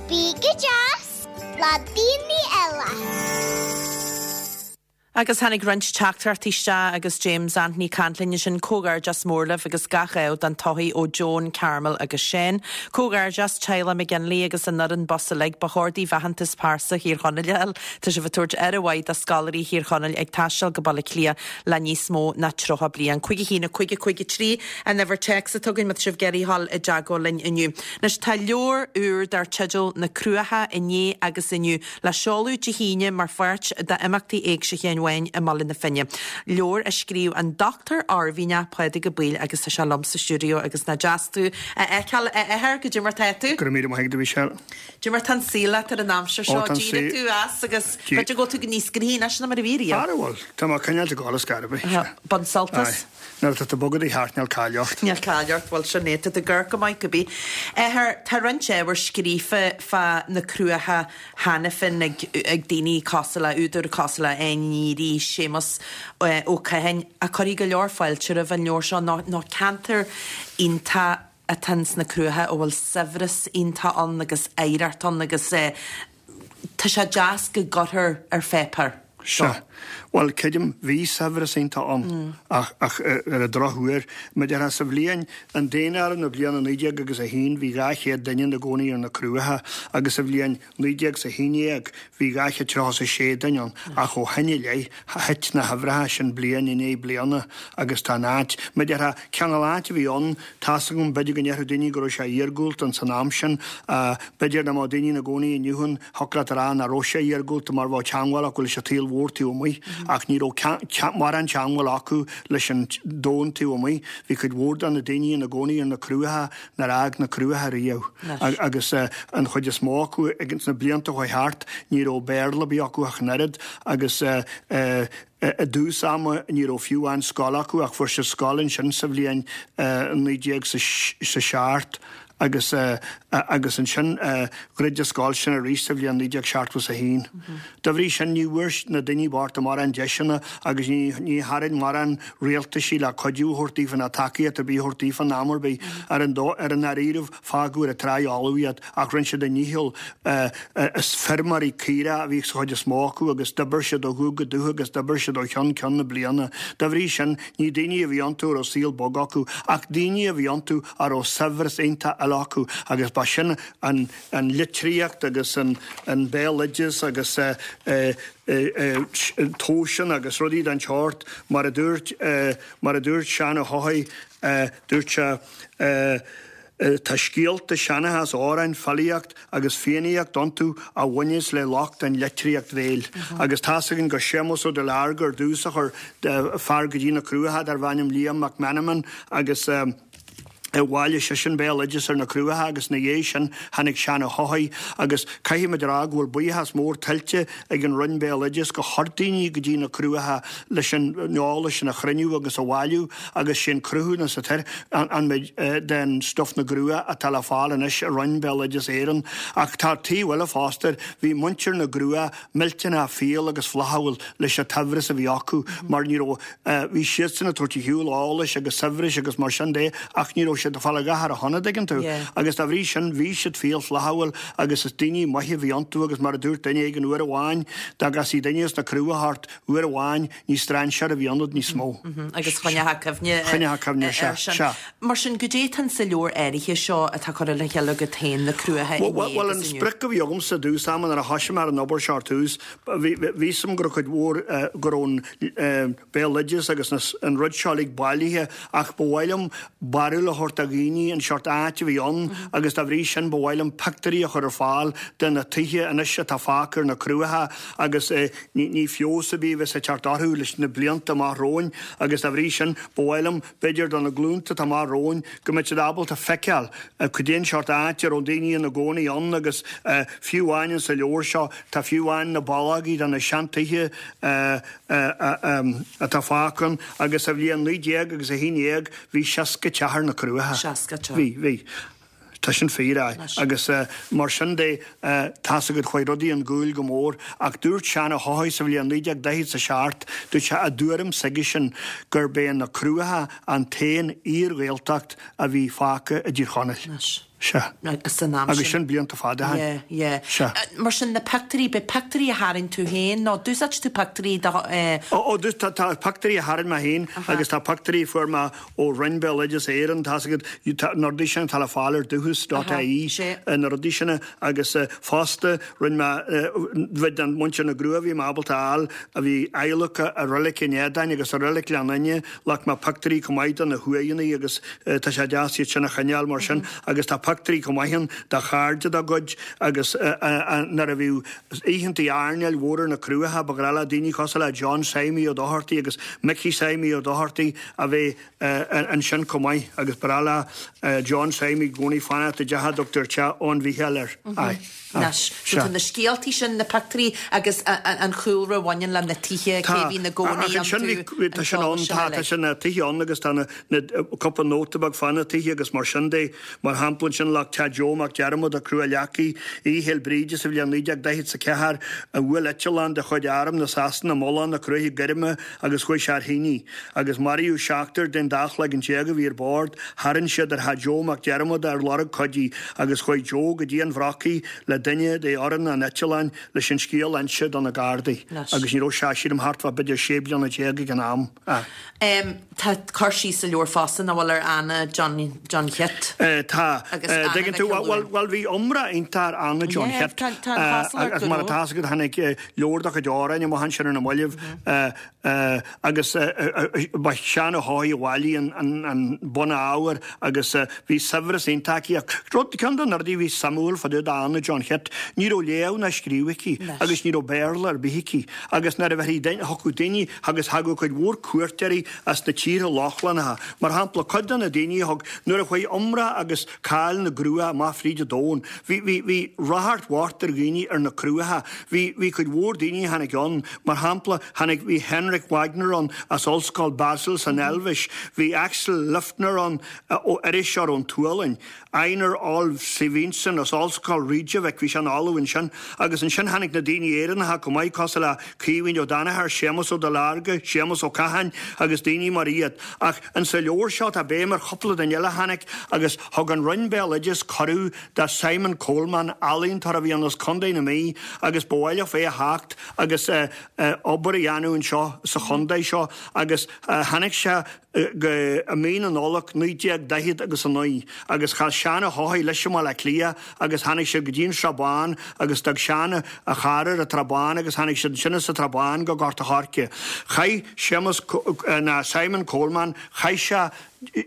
C: bí go deas le daoine eile.
A: Agus tháinig roinnt teachtaireachtaí isteach agus James Anthony ag caint linn ansin. Comhghairdeas mór libh agus gach ádh don todhchaí ó Joan, Carmel agus Shane. Comhghairdeas teaghlach McGinley agus an fhoireann bus uilig. Ba chóir daoibh aitheantas pearsa Thír Chonaill a fháil. Tá sibh ag tabhairt aire mhaith do scoláirí Thír Chonaill ag taisteal go Baile Átha Cliath le níos mó ná 30 bliain. 5 1 5 5 3 an uimhir téacs atá againn má tá sibh ag iarraidh a ghabháil i dteagmháil linn inniu. Anois tá leabhar úr dar teideal Na Cruacha Inné agus Inniu le seoladh Dé hAoine mar pháirt d'imeachtaí Éigse Sheáin Bháin i mBaile na Finne. Leabhar a scríobh an Dr Oirmhinneach Pádraig Ó Baoill agus tá sé liom sa stiúideo agus nach deas tú a fheiceáil a athair, goidé mar tá tú?
E: Go raibh míle maith agat a Mhichelle.
A: Goidé mar tá an saol leat ar an aimsir seo,
E: Ó tá an saol.
A: D'éirigh tú as agus b'fhéidir go bhfuil tú níos gnaithí anois ná mar a bhí riamh.
E: Ara bhuel, tá mé coinneáilt ag gabháil ar scor ar bith.
A: Bain sult as.
E: Aye. Nuair atá tú ag bogadh do cheart níl caill ort.
A: Níl caill ort, bhuel sin é, tá tú ag amharc go maith cibé. Athair, tá roinnt ábhar scríofa fá na Cruacha cheana féin ag ag daoine cosúil le, údair cosúil le Áine Ní Fhearraigh, Séamus Ó Catháin, a cuirfidh go leor fáilte roimh an leabhar seo nó nó ceantar iontach atá ins na Cruacha a bhfuil saibhreas iontach ann agus oidhreacht ann agus eh. Tá sé deas go gcuirthear ar pháipéar
E: Sea. Bhuel, creidim, bhí saibhreas iontach ann, ach, ach ar an drochuair, mar a déarfá, sa bhliain, an daonáireamh na bliana 19 agus 1, bhí 200 duine ina gcónaí ar na Cruacha, agus sa bhliain 1911, bhí 236 duine ann, ach ó shin i leith, thit na huimhreacha sin bliain i ndiaidh bliana, agus tá an áit, mar a déarfá, cineál áit a bhí ann, tá's agam, b'fhéidir go ndéarfadh daoine go raibh sé iargúlta ins an am sin, b'fhéidir dá mbeadh daoine ina gcónaí inniu ann, Thiocfadh leat a rá nach raibh sé iargúlta mar bheadh teangmháil acu leis an tsaol mhór taobh amuigh ach ní raibh mórán teangmháil acu leis an domhan taobh amuigh. Bhí cuid mhór de na daoine ina gcónaí ar na Cruacha nár fhág na Cruacha riamh agus an chuid is mó acu ins na blianta a chuaigh thart ní raibh Béarla ar bith acu ach an oiread agus i dtús ama ní raibh fiú amháin scoil acu ach fuair siad scoil ansin sa bhliain 1907 agus agus ansin dhruid an scoil sin arís sa bhliain 1971. Dá bhrí sin ní bhfuair na daoine bochta mórán deiseanna agus ní ní tharraing mórán rialtaisí le cuidiú a thabhairt daofa ná tacaíocht ar bith a thabhairt daofa in am ar bith. Ar an ar an ndáiríribh fágadh ar an tráigh fholamh iad ach rinne siad a ndícheall. Is feirmeoirí caorach a bhí sa chuid is mó acu agus d'oibir siad ó dhubh go dubh agus d'oibir siad ó cheann ceann na bliana. Dá bhrí sin, ní daoine a bhí iontu a raibh saol bog acu, ach daoine a bhí iontu a raibh saibhreas iontach eile acu agus ba sin an an litríocht agus an an béaloideas agus tomhaiseanna agus rudaí den tseort mar a dúirt mar a dúirt Seán Ó hEochaidh, dúirt sé. Tá scéalta, seanchas, amhráin, filíocht agus fiannaíocht iontu a bhaineas le lucht an litríocht bhéil. Agus tá's againn gur Séamus Ó Duilearga ar dtús a chuir fear go dtí na Cruacha darbh ainm Liam Mac Meanman agus bhailigh seisean béaloideas ar na Cruacha agus ina dhiaidh sin tháinig Seán Ó hEochaidh agus caithfimid a rá go bhfuil buíochas mór tuillte ag an Roinn Béaloideas gur chuir daoine go dtí na Cruacha leis an eolas sin a chruinniú agus a bhailiú agus sé an cruthúnas atá air an méid den stuif na gCruach atá le fáil anois i Roinn Béaloideas Éireann. Ach tá taobh eile fosta air, bhí muintir na gCruach millteanach fial agus flaithiúil leis an tsaibhreas a bhí acu mar ní raibh, bhí siadsan ag tabhairt ar shiúl eolais agus saibhris agus mar sin de ach ní raibh siad ag fáil a dhath ar a shon, an dtuigeann tú. Agus dá bhrí sin bhí siad fial flaithiúil agus is daoine maithe a bhí iontu agus mar a dúirt duine éigin uair amháin, dá gcasfaí duine as na Cruacha ort uair amháin ní strainséir a bhí ionat níos mó.
A: Agus choinneochthá cuimhne
E: Choinneochthá cuimhne, sea,
A: air sin.
E: sea.
A: Mar sin, goidé atá sa leabhar áirithe seo atá curtha le chéile agat féin, Na Cruacha
E: Inné
A: Bhuel,
E: an
A: agus Inniu?
E: sprioc a bhí agamsa i dtús ama nuair a thoisigh mé ar an obair seo ar tús, bhí fhios agam go raibh cuid mhór, go raibh an béaloideas agus an rud seo uilig bailithe ach ba mhaith liom barúil a thabhairt do dhaoine an seort áit a bhí ann agus dá bhrí sin ba mhaith liom pictiúirí a chur ar fáil de na tithe anois atá fágtha ar na Cruacha agus ní feabhas ar bith a bheas ag teacht orthu leis na blianta amach romhainn agus dá bhrí sin ba mhaith liom b'fhéidir do na glúnta atá amach romhainn go mbeidh siad ábalta feiceáil cad é an seort áit a raibh daoine ina gcónaí ann agus fiú amháin insa leabhar seo tá fiú amháin na ballógaí de na seantithe atá fágtha ann agus sa bhliain 19 agus 11 bhí 60 teach ar na Cruacha.
A: 60 teach.
E: Bhí, bhí. Tá sin fíor, aye. Agus mar sin de, tá's agat, chuaigh rudaí chun gcúil go mór. Ach dúirt Seán Ó hEochaidh sa bhliain 1947, dúirt sé i dtuairim s'aigesean gurb é na Cruacha an t-aon fhíor-Ghaeltacht a bhí fágtha i dTír Chonaill.
A: Anois.
E: Sea.
A: San am
E: Agus sin blianta fada ó shin.
A: Yeah, yeah.
E: Sea.
A: Mar sin, na pictiúirí, beidh pictiúirí a tharraing tú féin nó d'úsáid tú pictiúirí do, eh.
E: Ó, ó, tá, tá pictiúirí a tharraing mé féin agus tá pictiúirí a fuair mé ó Roinn Béaloideas Éireann, tá's agat, na rudaí sin atá le fáil ar Dúchas dot ie, na rudaí sin agus fosta rinne mé, bhí den muintir na gCruach a bhí mé ábalta a fháil, a bhí adhlactha i Reilig an Éadáin agus i Reilig Ghleann Fhinne, ghlac mé pictiúirí chomh maith de na huaigheanna agus tá sé deas iad sin a choinneáil mar sin agus tá pictiúirí chomh maith ann de chairde dá gcuid agus nuair a bhíodh oícheantaí airneáil mhór ar na Cruacha ba ghnách le daoine cosúil le John Seimí Ó Dochartaigh agus Micí Seimí Ó Dochartaigh a bheith ansin chomh maith agus ba ghnách le John Seimí i gcónaí fanacht i dteach a dtugtar Teach Eoin Mhícheáil air. Aye.
A: Anois, so tá na scéaltaí sin, na pictiúirí agus an chúlra a bhaineann le na tithe, cé a bhí ina gcónaí
E: Ach ansin bhí, tá sin ann, tá, tá sin na tithe ann agus tá na, na, cúpla nóta beag fá na tithe agus mar sin de, mar shampla ansin. ansin le Teach Joe Mac Diarmada, Cruach Leacaigh, Oíche Fhéil Bríde sa bhliain 1944 a bhuail eitleán de chuid Arm na Sasana Mullach na Cruaiche Goirme agus chuaigh sé ar thine agus maraíodh seachtar den dá chloigeann déag a bhí ar bord. Tharraing siad ar theach Joe Mac Diarmada ar lorg cuidí agus chuaigh Joe go dtí an Bhrocaigh le duine de fhoireann an eitleáin leis an scéal a inse do na Gardaí agus ní raibh sé, sílim, thart fá b'fhéidir 16 bliana ag an am.
A: Tá cur síos sa leabhar fosta, nach bhfuil, ar Anna John John Chit.
E: Tá. Agus Anna Dtuigeann tú, bhuel, bhuel, bhí iomrá iontach ar Anna John Chit. Tá an chosúlacht Agus mar atá fhios agat, tháinig leabhar dá chuid amhráin amach ansin ar na mallaibh agus ba Seán Ó hEochaidh a bhailigh an bunábhar agus bhí saibhreas iontach aici. Ach rud, ceann de na rudaí a bhí suimiúil fá dtaobh d'Anna John Chit, ní raibh léamh ná scríobh aici agus ní raibh Béarla ar bith aici. Agus nuair a bheirthí duine, thiocfadh daoine agus thagadh cuid mhór cuairteoirí as na tíortha Lochlannacha. Mar shampla, cuid de na daoine a thug, nuair a chuaigh iomrá agus cáil na gCruach amach fríd an domhan, bhí, bhí, bhí ráchairt mhór ar dhaoine ar na Cruacha. Bhí, bhí cuid mhór daoine a tháinig ann. Mar shampla, tháinig, bhí Henrik Wagner ann as Ollscoil Basel san Eilvéis, bhí Axel Liffner ann ó iriseoir ón tSualainn. Einar Ólafur Sveinsson as Ollscoil Reykjavik, bhí sé ina ollamh ansin, agus ansin tháinig na daoine Éireannacha chomh maith, cosúil le Caoimhín Ó Danachair, Séamus Ó Duilearga, Séamus Ó Catháin agus daoine mar iad. Ach insa leabhar seo tá béim ar chúpla duine eile a tháinig agus thug an Roinn Béaloideas cuireadh do Simon Coleman, ealaíontóir a bhí ann as Contae na Mí agus ba mhaith leo é a theacht agus obair a dhéanamh anseo sa chontae seo agus tháinig sé go i mí na Nollag 1940 agus 9 agus chas Seán Ó hEochaidh leis i mBaile Átha Cliath agus tháinig siad go dtí an Srath Bán agus d'fhág Seán a charr ar an tSrath Bán agus tháinig siad ansin as an tSrath Bán go Gort a' Choirce. Chaith Séamus ná Simon Coleman, chaith sé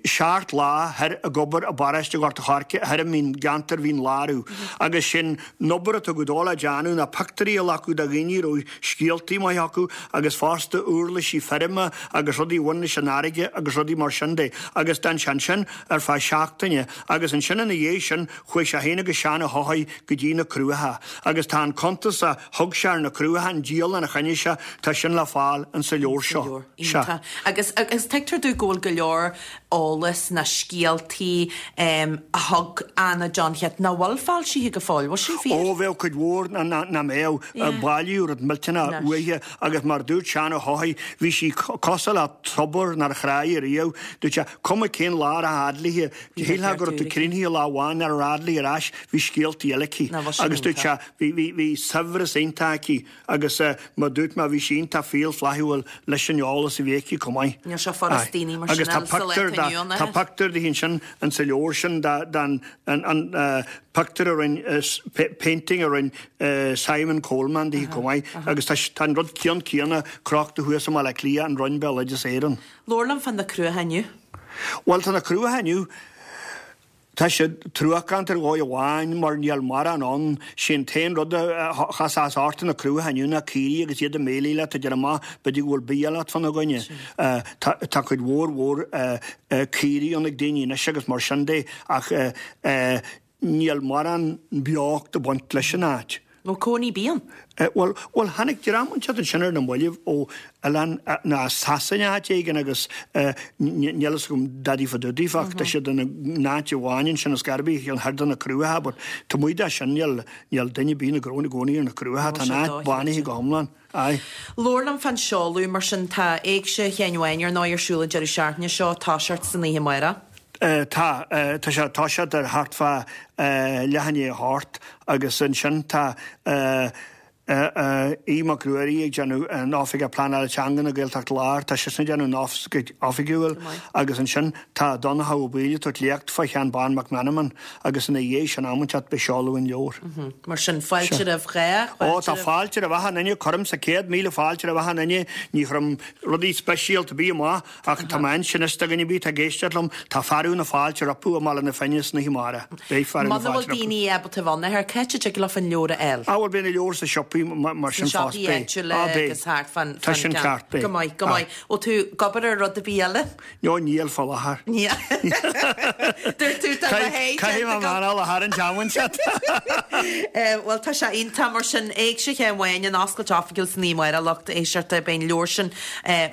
E: seacht lá thoir ag obair i bparóiste Ghort a' Choirce thoir i mioncheantar Mhín Lárú agus sin an obair a tugadh dó le déanamh ná pictiúirí a ghlacadh de dhaoine a raibh scéaltaí maithe acu agus fosta uirlisí feirme agus rudaí a bhain leis an fharraige agus rudaí mar sin de agus d'fhan sé ansin ar feadh seachtaine agus ansin ina dhiaidh sin chuaigh sé féin agus Seán Ó hEochaidh go dtí na Cruacha agus tá an cuntas a thug sé ar na Cruacha, an dialann a choinnigh sé, tá sin le fáil insa leabhar seo. Sea.
A: Iontach. Agus agus tuigtear domh go bhfuil go leor eolas ná scéaltaí a thug Anna John Chit nach bhfuil foilsithe go fóill. Bhfuil sin fíor?
E: Ó, bheadh cuid mhór nach mbeadh. Bailíodh rud millteanach uaithi agus mar a dúirt Seán Ó hEochaidh, bhí sí cosúil le tobar nár thráigh ariamh. Dúirt sé, cuma cén lá a rachfá fhad léi, shílfeá go raibh tú críochnaithe lá amháin nuair a rachfá fhad léi ar ais, bhí scéaltaí eile aici. Agus dúirt sé, bhí saibhreas iontach aici. Agus mar dúirt mé, bhí sí iontach fial flaithiúil leis an eolas a bhí aici chomh maith.
A: Níl sé furast daoine mar sin
E: a fháil sa lá atá inniu ann. Tá pictiúr di ansin in sa leabhar sin den an pictiúr a rinne, painting a rinne Simon Coleman di chomh maith. Agus tá an rud ceann céanna crochta thuas i mBaile Átha Cliath, an Roinn Béaloideas Éireann.
A: Labhair liom fá na Cruacha inniu.
E: Bhuel, tá na Cruacha inniu. Tá siad truacánta ar dhóigh amháin mar níl mórán ann. Sé an t-aon rud a chasfá ort ar na Cruacha inniu ná caoirigh agus iad ag méiligh leat ag déanamh amach b'fhéidir go bhfuil bia leat fána gcoinne. Tá cuid mhór mhór caoirigh ann ag daoine anois agus mar sin de ach níl mórán beocht ag baint leis an áit.
A: Bhfuil cónaí ar bith ann?
E: Bhuel, bhuel, tháinig dream inteacht ansin ar na mallaibh ó oileán, nó as Sasana áit éigin agus níl fhios agam dadaí fá dtaobh daofa ach tá siad ina n-áit amháin ansin is garbh cheann thoir de na Cruacha but taobh amuigh de sin níl, níl duine ar bith ina gcónaí ar na Cruacha, tá an áit bánaithe go hiomlán. Aye.
A: Labhair liom fán seoladh, mar sin, tá Éigse Sheáin Bháin ar ndóigh ar siúl an deireadh seachtaine seo, toiseacht san oíche amárach.
E: Tá. Tá sé ag toiseacht ar thart fá leath i ndiaidh a hocht agus ansin tá Aodh Mac Ruairí ag déanamh an Oifigeach Pleanála Teanga na Gaeltacht Láir, tá seisean ag déanamh an oifigiúil agus ansin tá Donncha Ó Baoill ag tabhairt léacht fá Sheán Bán Mac Meanman agus ina dhiaidh sin am inteacht beidh seoladh an leabhair.
A: Mar sin, fáilte roimh chách,
E: Ó, tá fáilte roimh achan duine, cuirimse 100,000 fáilte roimh achan duine, ní chuirim rudaí speisialta ar bith amach Ach tá mé ansin is do dhuine ar bith atá ag éisteacht liom, tá fearadh na fáilte rompu i mBaile na Finne san oíche amárach. Beidh fearadh na
A: Muna
E: fáilte
A: bhfuil
E: rompu.
A: daoine ábalta a bheith ann, cá háit a dtig leofa an leabhar a fháil?
E: Ah bhuel beidh na leabhair sa siopaí. siopaí mar sin
A: Sna
E: fosta.
A: siopaí
E: Beidh.
A: áitiúla
E: Á, beidh.
A: agus thart fán
E: Tá sin
A: ceann.
E: ceart, beidh.
A: Go maith, go
E: Aye.
A: maith. Bhfuil tú ag obair ar rud ar bith eile?
E: No, níl fá láthair.
A: Níl. Dúirt tú tá mo thae
E: Caithfidh mé
A: déanta agam.
E: maireachtáil thar an tseachtain seo.
A: Bhuel, tá sé iontach mar sin. Éigse Sheáin Bháin, an oscailt oifigiúil san oíche amárach, lucht éisteachta. Beidh an leabhar sin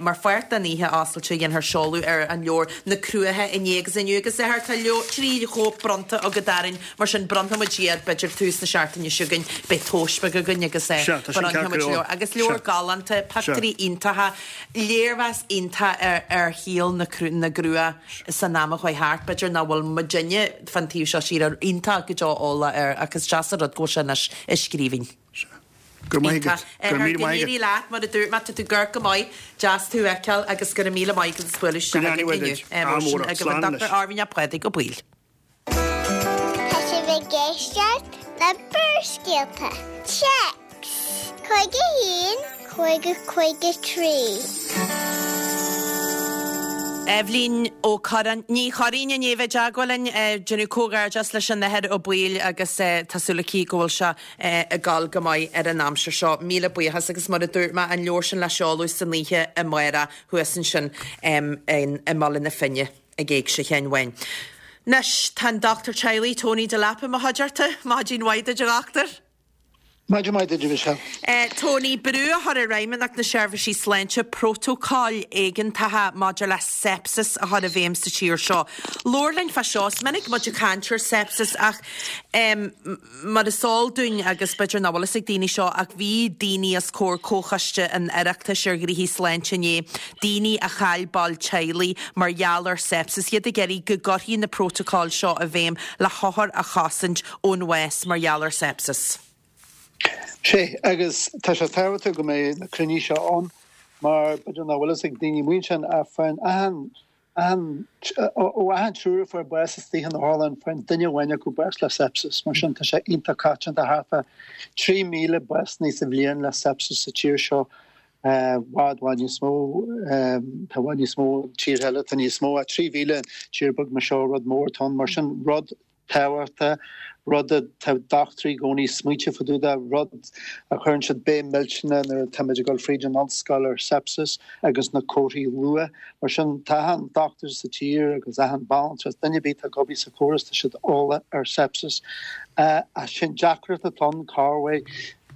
A: mar pháirt den oíche oscailte. Dhéanfar seoladh ar an leabhar Na Cruacha inné agus inniu agus a Athair, tá leabhar, 3 chóip bronnta agat orainn. Mar sin, bronnfaidh muid iad, b'fhéidir tús na seachtaine seo chugainn, beidh tomhas beag againn agus
E: Sea, tá sin
A: bronnfaidh
E: ceart
A: muid
E: go leor.
A: leabhar. Agus leabhar
E: Sea.
A: galánta, pictiúirí iontacha, léirmheas iontach ar ar shaol na na gcrua san am a chuaigh thart, b'fhéidir nach bhfuil muidinne fán taobh seo tíre iontach go deo eolach air ach is deas an rud go bhfuil sé anois i scríbhinn.
E: Sea. Go raibh maith agat. Go raibh míle
A: Go
E: maith agat.
A: n-éirí leat, mar a dúirt mé, tá tú ag amharc go maith, deas tú a fheiceáil agus go raibh míle maith agat as bualadh
E: Go
A: isteach
E: ndéana
A: againn
E: uaidh
A: inniu.
E: duit.
A: Mar
E: Ádh
A: sin,
E: mór ort.
A: agaibh an
E: Slán
A: Dr.
E: anois.
A: Arvin Ó Pádraig Ó Baoill.
C: Tá sibh ag éisteacht le Barrscéalta. Téacs 51 50 53.
A: Eibhlín Ó Corráin, Ní Churraoin i ndiaidh bheith i dteagmháil linn, déanamh comhghairdeas leis an Athair Ó Baoill agus tá súil aici go bhfuil sé ag gabháil go maith ar an aimsir seo. Míle buíochas agus mar a dúirt mé, an leabhar sin le seoladh san oíche amárach thuas ansin i mBaile na Finne. ag Éigse Sheáin Bháin. Anois, tá an dochtúir teaghlaigh, Tony Delap i mo chuideachta. Maidin mhaith duit, a dhochtúir.
F: Maidin mhaith duit, a Mhichelle.
A: Tony, brú a chur ar Fheidhmeannacht na Seirbhísí Sláinte prótócáil éigeantacha maidir le sepsis a chur i bhfeidhm sa tír seo. Labhair linn fá seo. Is minic muid ag caint ar sepsis ach Mar is eol dúinn, agus b'fhéidir nach bhfuil fhios ag daoine seo, ach bhí daoine os comhair Comhchoiste an Oireachtais ar Ghnoithí Sláinte inné, daoine a chaill ball teaghlaigh mar gheall ar sepsis, iad ag iarraidh go gcuirfí na prótocóil seo i bhfeidhm le hothair a chosaint ón bhás mar gheall ar sepsis.
F: Sea, agus tá sé tábhachtach go mbeidh na cruinnithe seo ann mar b'fhéidir nach bhfuil fhios ag daoine amuigh ansin ach faigheann achan Achan, ó achan triúr a fuair bás istigh in otharlann, faigheann duine amháin acu bás le sepsis. Mar sin, tá sé iontach coitianta, thart fá 3,000 básanna sa bhliain le sepsis sa tír seo, i bhfad, bhfad níos mó, tá i bhfad níos mó i tíortha eile, tá níos mó, ach 3,000 tír beag mar seo, rud mór atá ann. Mar sin, rud tábhachtach, rud atá dochtúirí i gcónaí smaointeamh fá dtaobh de, rud a chuireann siad béim millteanach nuair atáimid ag dul fríd an ollscoil ar sepsis agus na comharthaí luath. Mar sin, tá achan dochtúir sa tír agus achan bhanaltra, duine ar bith atá ag obair sa chóras, tá siad eolach ar sepsis. Ach sin deacracht atá ann, corruair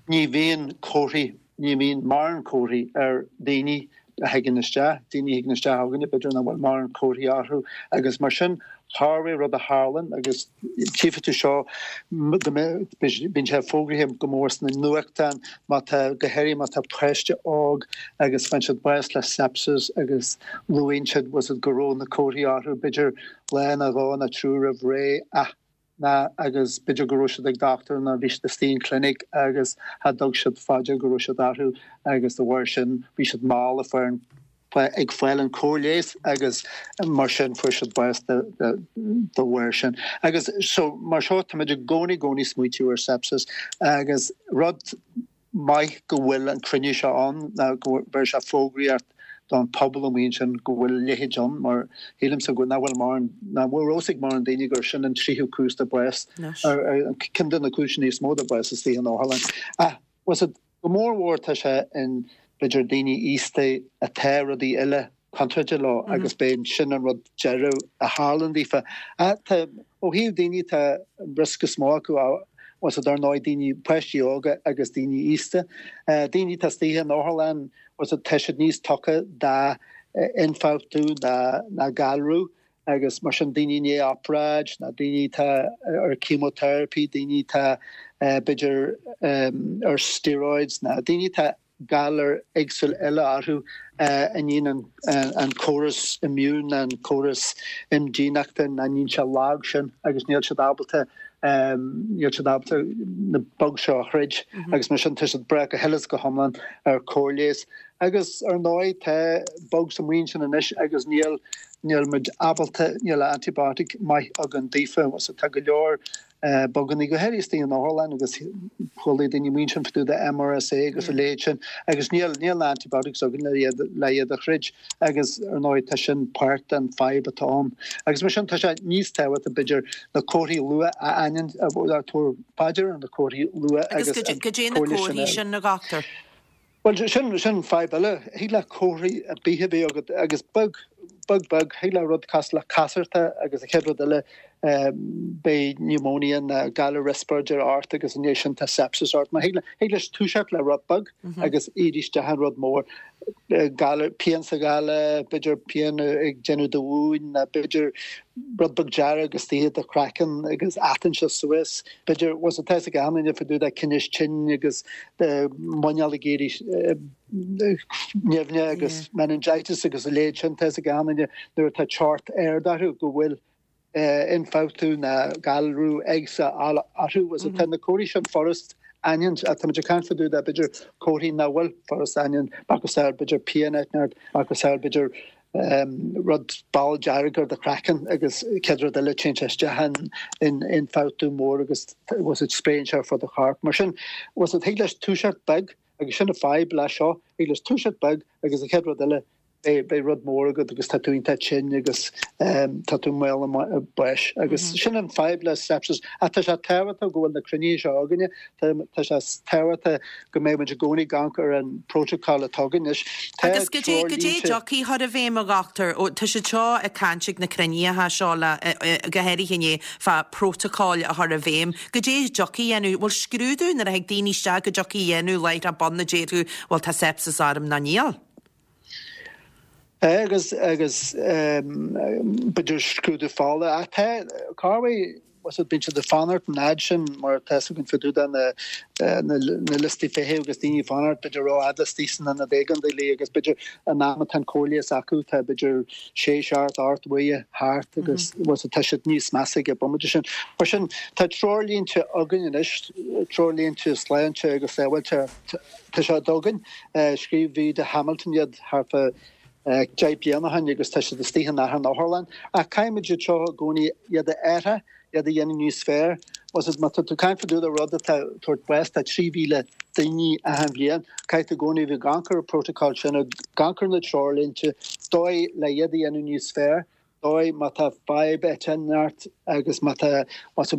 F: ní bhíonn comharthaí, ní bhíonn mórán comharthaí ar daoine a thagann isteach, daoine a thagann isteach chugainne, b'fhéidir nach bhfuil mórán comharthaí orthu agus mar sin corruair rud a tharlann agus tchífidh tú seo go mbíonn sé fógraithe go mór sna nuachtáin má tá, go háirithe má tá páiste óg agus faigheann siad bás le sepsis agus luaíonn siad was it go raibh na comharthaí orthu b'fhéidir lá nó dhó nó triúr roimh ré ach ná agus b'fhéidir go raibh siad ag dochtúir nó bhí siad istigh in clinic agus cha dtug siad fá dear go raibh siad orthu agus de bharr sin bhí siad mall ag fáil ag fáil an cóir leighis agus mar sin fuair siad bás de de bharr sin. Agus so mar seo táimid i gcónaí gcónaí smaoitiú ar sepsis agus rud maith go bhfuil an cruinniú seo ann ná go bhfuil sé fógraíocht don phobal amuigh ansin go bhfuil a leithéid ann mar shílimse go nach bhfuil mórán nach bhfuil fhios ag mórán daoine gur sin an tríú cúis de bás ceann de na cúiseanna is mó de bás istigh in otharlann. Ach was it go mór mhór tá sé in b'fhéidir daoine aosta atá rudaí eile contráilte leo agus b'é sin an rud deireadh a tharlann daofa. Ach tá, ó thaobh daoine atá an riosca is mó acu, was it, ar ndóigh, daoine, páistí óga agus daoine aosta. Daoine atá istigh in otharlann, was it, tá siad níos tugtha d'ionfhabhtú ná ná galrú agus mar sin daoine i ndiaidh obráid ná daoine atá ar chemotherapy, daoine atá b'fhéidir ar steroids ná daoine atá galar éagsúil eile orthu a ndéanann an córas immune, an córas imdhíonachta, a ndéanann sé lag sin agus níl siad ábalta, níl siad ábalta na bugs seo a throid agus mar sin tá siad ag brath go huile is go hiomlán ar chóir leighis. Agus ar ndóigh tá bugs amuigh ansin anois agus níl, níl muid ábalta, níl antibiotic maith againn daofa, so tá go leor. Bugannaí, go háirithe istigh in otharlann agus chuala daoine amuigh ansin fá dtaobh de MRSA agus a leithéid sin agus níl níl na antibiotics againn le iad le iad a throid agus ar ndóigh tá sin páirt den fadhb atá ann. Agus mar sin tá sé níos tábhachtaí b'fhéidir na comharthaí luath a aithint a tabhair fá deara na comharthaí luath
A: Agus
F: agus an
A: goidé na
F: comhairle sin
A: comharthaí
F: a
A: sin, a dhochtúir?
F: Bhuel, sin, sin fadhb eile. Thig le comharthaí ar bith a bheith agat agus beag, beag, beag, thig le rud cosúil le casartach agus an chéad rud eile, beidh pneumonia nó galar riospráide ort agus i ndiaidh sin tá sepsis ort. Mar thig le, thig leis toiseacht le rud beag agus éirí isteach in rud mór. Galar, pian sa ghoile, b'fhéidir pian ag déanamh do mhúin nó b'fhéidir rud beag dearg istigh i do chraiceann agus atann sé suas. B'fhéidir, bhfuil a fhios ag achan duine fá dtaobh de tinneas tinn agus de muineál ag éirí nimhneach agus meningitis agus a leithéid sin. Tá a fhios ag achan duine nuair atá teocht ard orthu go bhfuil ionfhabhtú nó galrú éigse orthu. Bhfuil a fhios agat, tá na comharthaí sin furast aithint ach táimid ag caint fá dtaobh de b'fhéidir comharthaí nach bhfuil furast aithint, macasamhail b'fhéidir pian inteacht, macasamhail b'fhéidir rud ball dearg ar do chraiceann agus chéad rud eile téann sé isteach in ionfhabhtú mór agus bhfuil a fhios agat spréann sé ar fud an choirp. Mar sin, bhfuil a fhios agat, thig leis toiseacht beag agus sin an fadhb leis seo, thig leis toiseacht beag agus an chéad rud eile beidh rud mór agat agus tá tú iontach tinn agus tá tú i mbaol an bháis. Agus sin an fadhb le sepsis. Ach tá sé tábhachtach go bhfuil na cruinnithe seo againne, tá sé tábhachtach go mbeidh muid i gcónaí ag amharc ar an bprótacal atá againn anois.
A: Tá Agus goidé, goidé a dtiocfaidh chur i bhfeidhm, a dhochtúir? Ó, tá siad seo ag caint ag na cruinnithe seo le, go háirithe inné, fá prótacail a chur i bhfeidhm. Goidé a dtiocfaidh a dhéanamh? Bhfuil scrúdú nuair a thig daoine isteach go dtiocfaidh a dhéanamh láithreach bonn a déarfadh, bhuel tá sepsis orm nó níl?
F: Agus, agus, b'fhéidir scrúdú fola. Ach tá, cá bhfuil, bhfuil a fhios agat, bíonn siad ag fanacht an fhad sin mar tá a fhios againn fá dtaobh de na, na, na liostaí feithimh agus daoine ag fanacht b'fhéidir rófhada istigh san ionad éigeandála agus b'fhéidir an am atá an cóir leighis acu tá b'fhéidir sé, seacht, ocht uaire thart agus bhfuil a fhios agat, tá siad níos measa ag an bomaite sin. Mar sin, tá treoirlínte againn anois, treoirlínte sláinte agus sábháilteachta, tá siad againn. Scríobh Vida Hamilton iad thart fá 10 bliana ó shin agus tá siad istigh in achan otharlann. Ach caithfimid iad seo i gcónaí iad a athrú, iad a dhéanamh níos fearr. Bhfuil a fhios agat, má tá tú ag caint fá dtaobh de rud atá ag tabhairt bás do 3,000 daoine achan bhliain, caithfidh tú i gcónaí bheith ag amharc ar an protocol sin, ag amharc ar na treoirlínte, dóigh le iad a dhéanamh níos fearr. dóigh má tá fadhb inteacht agus má tá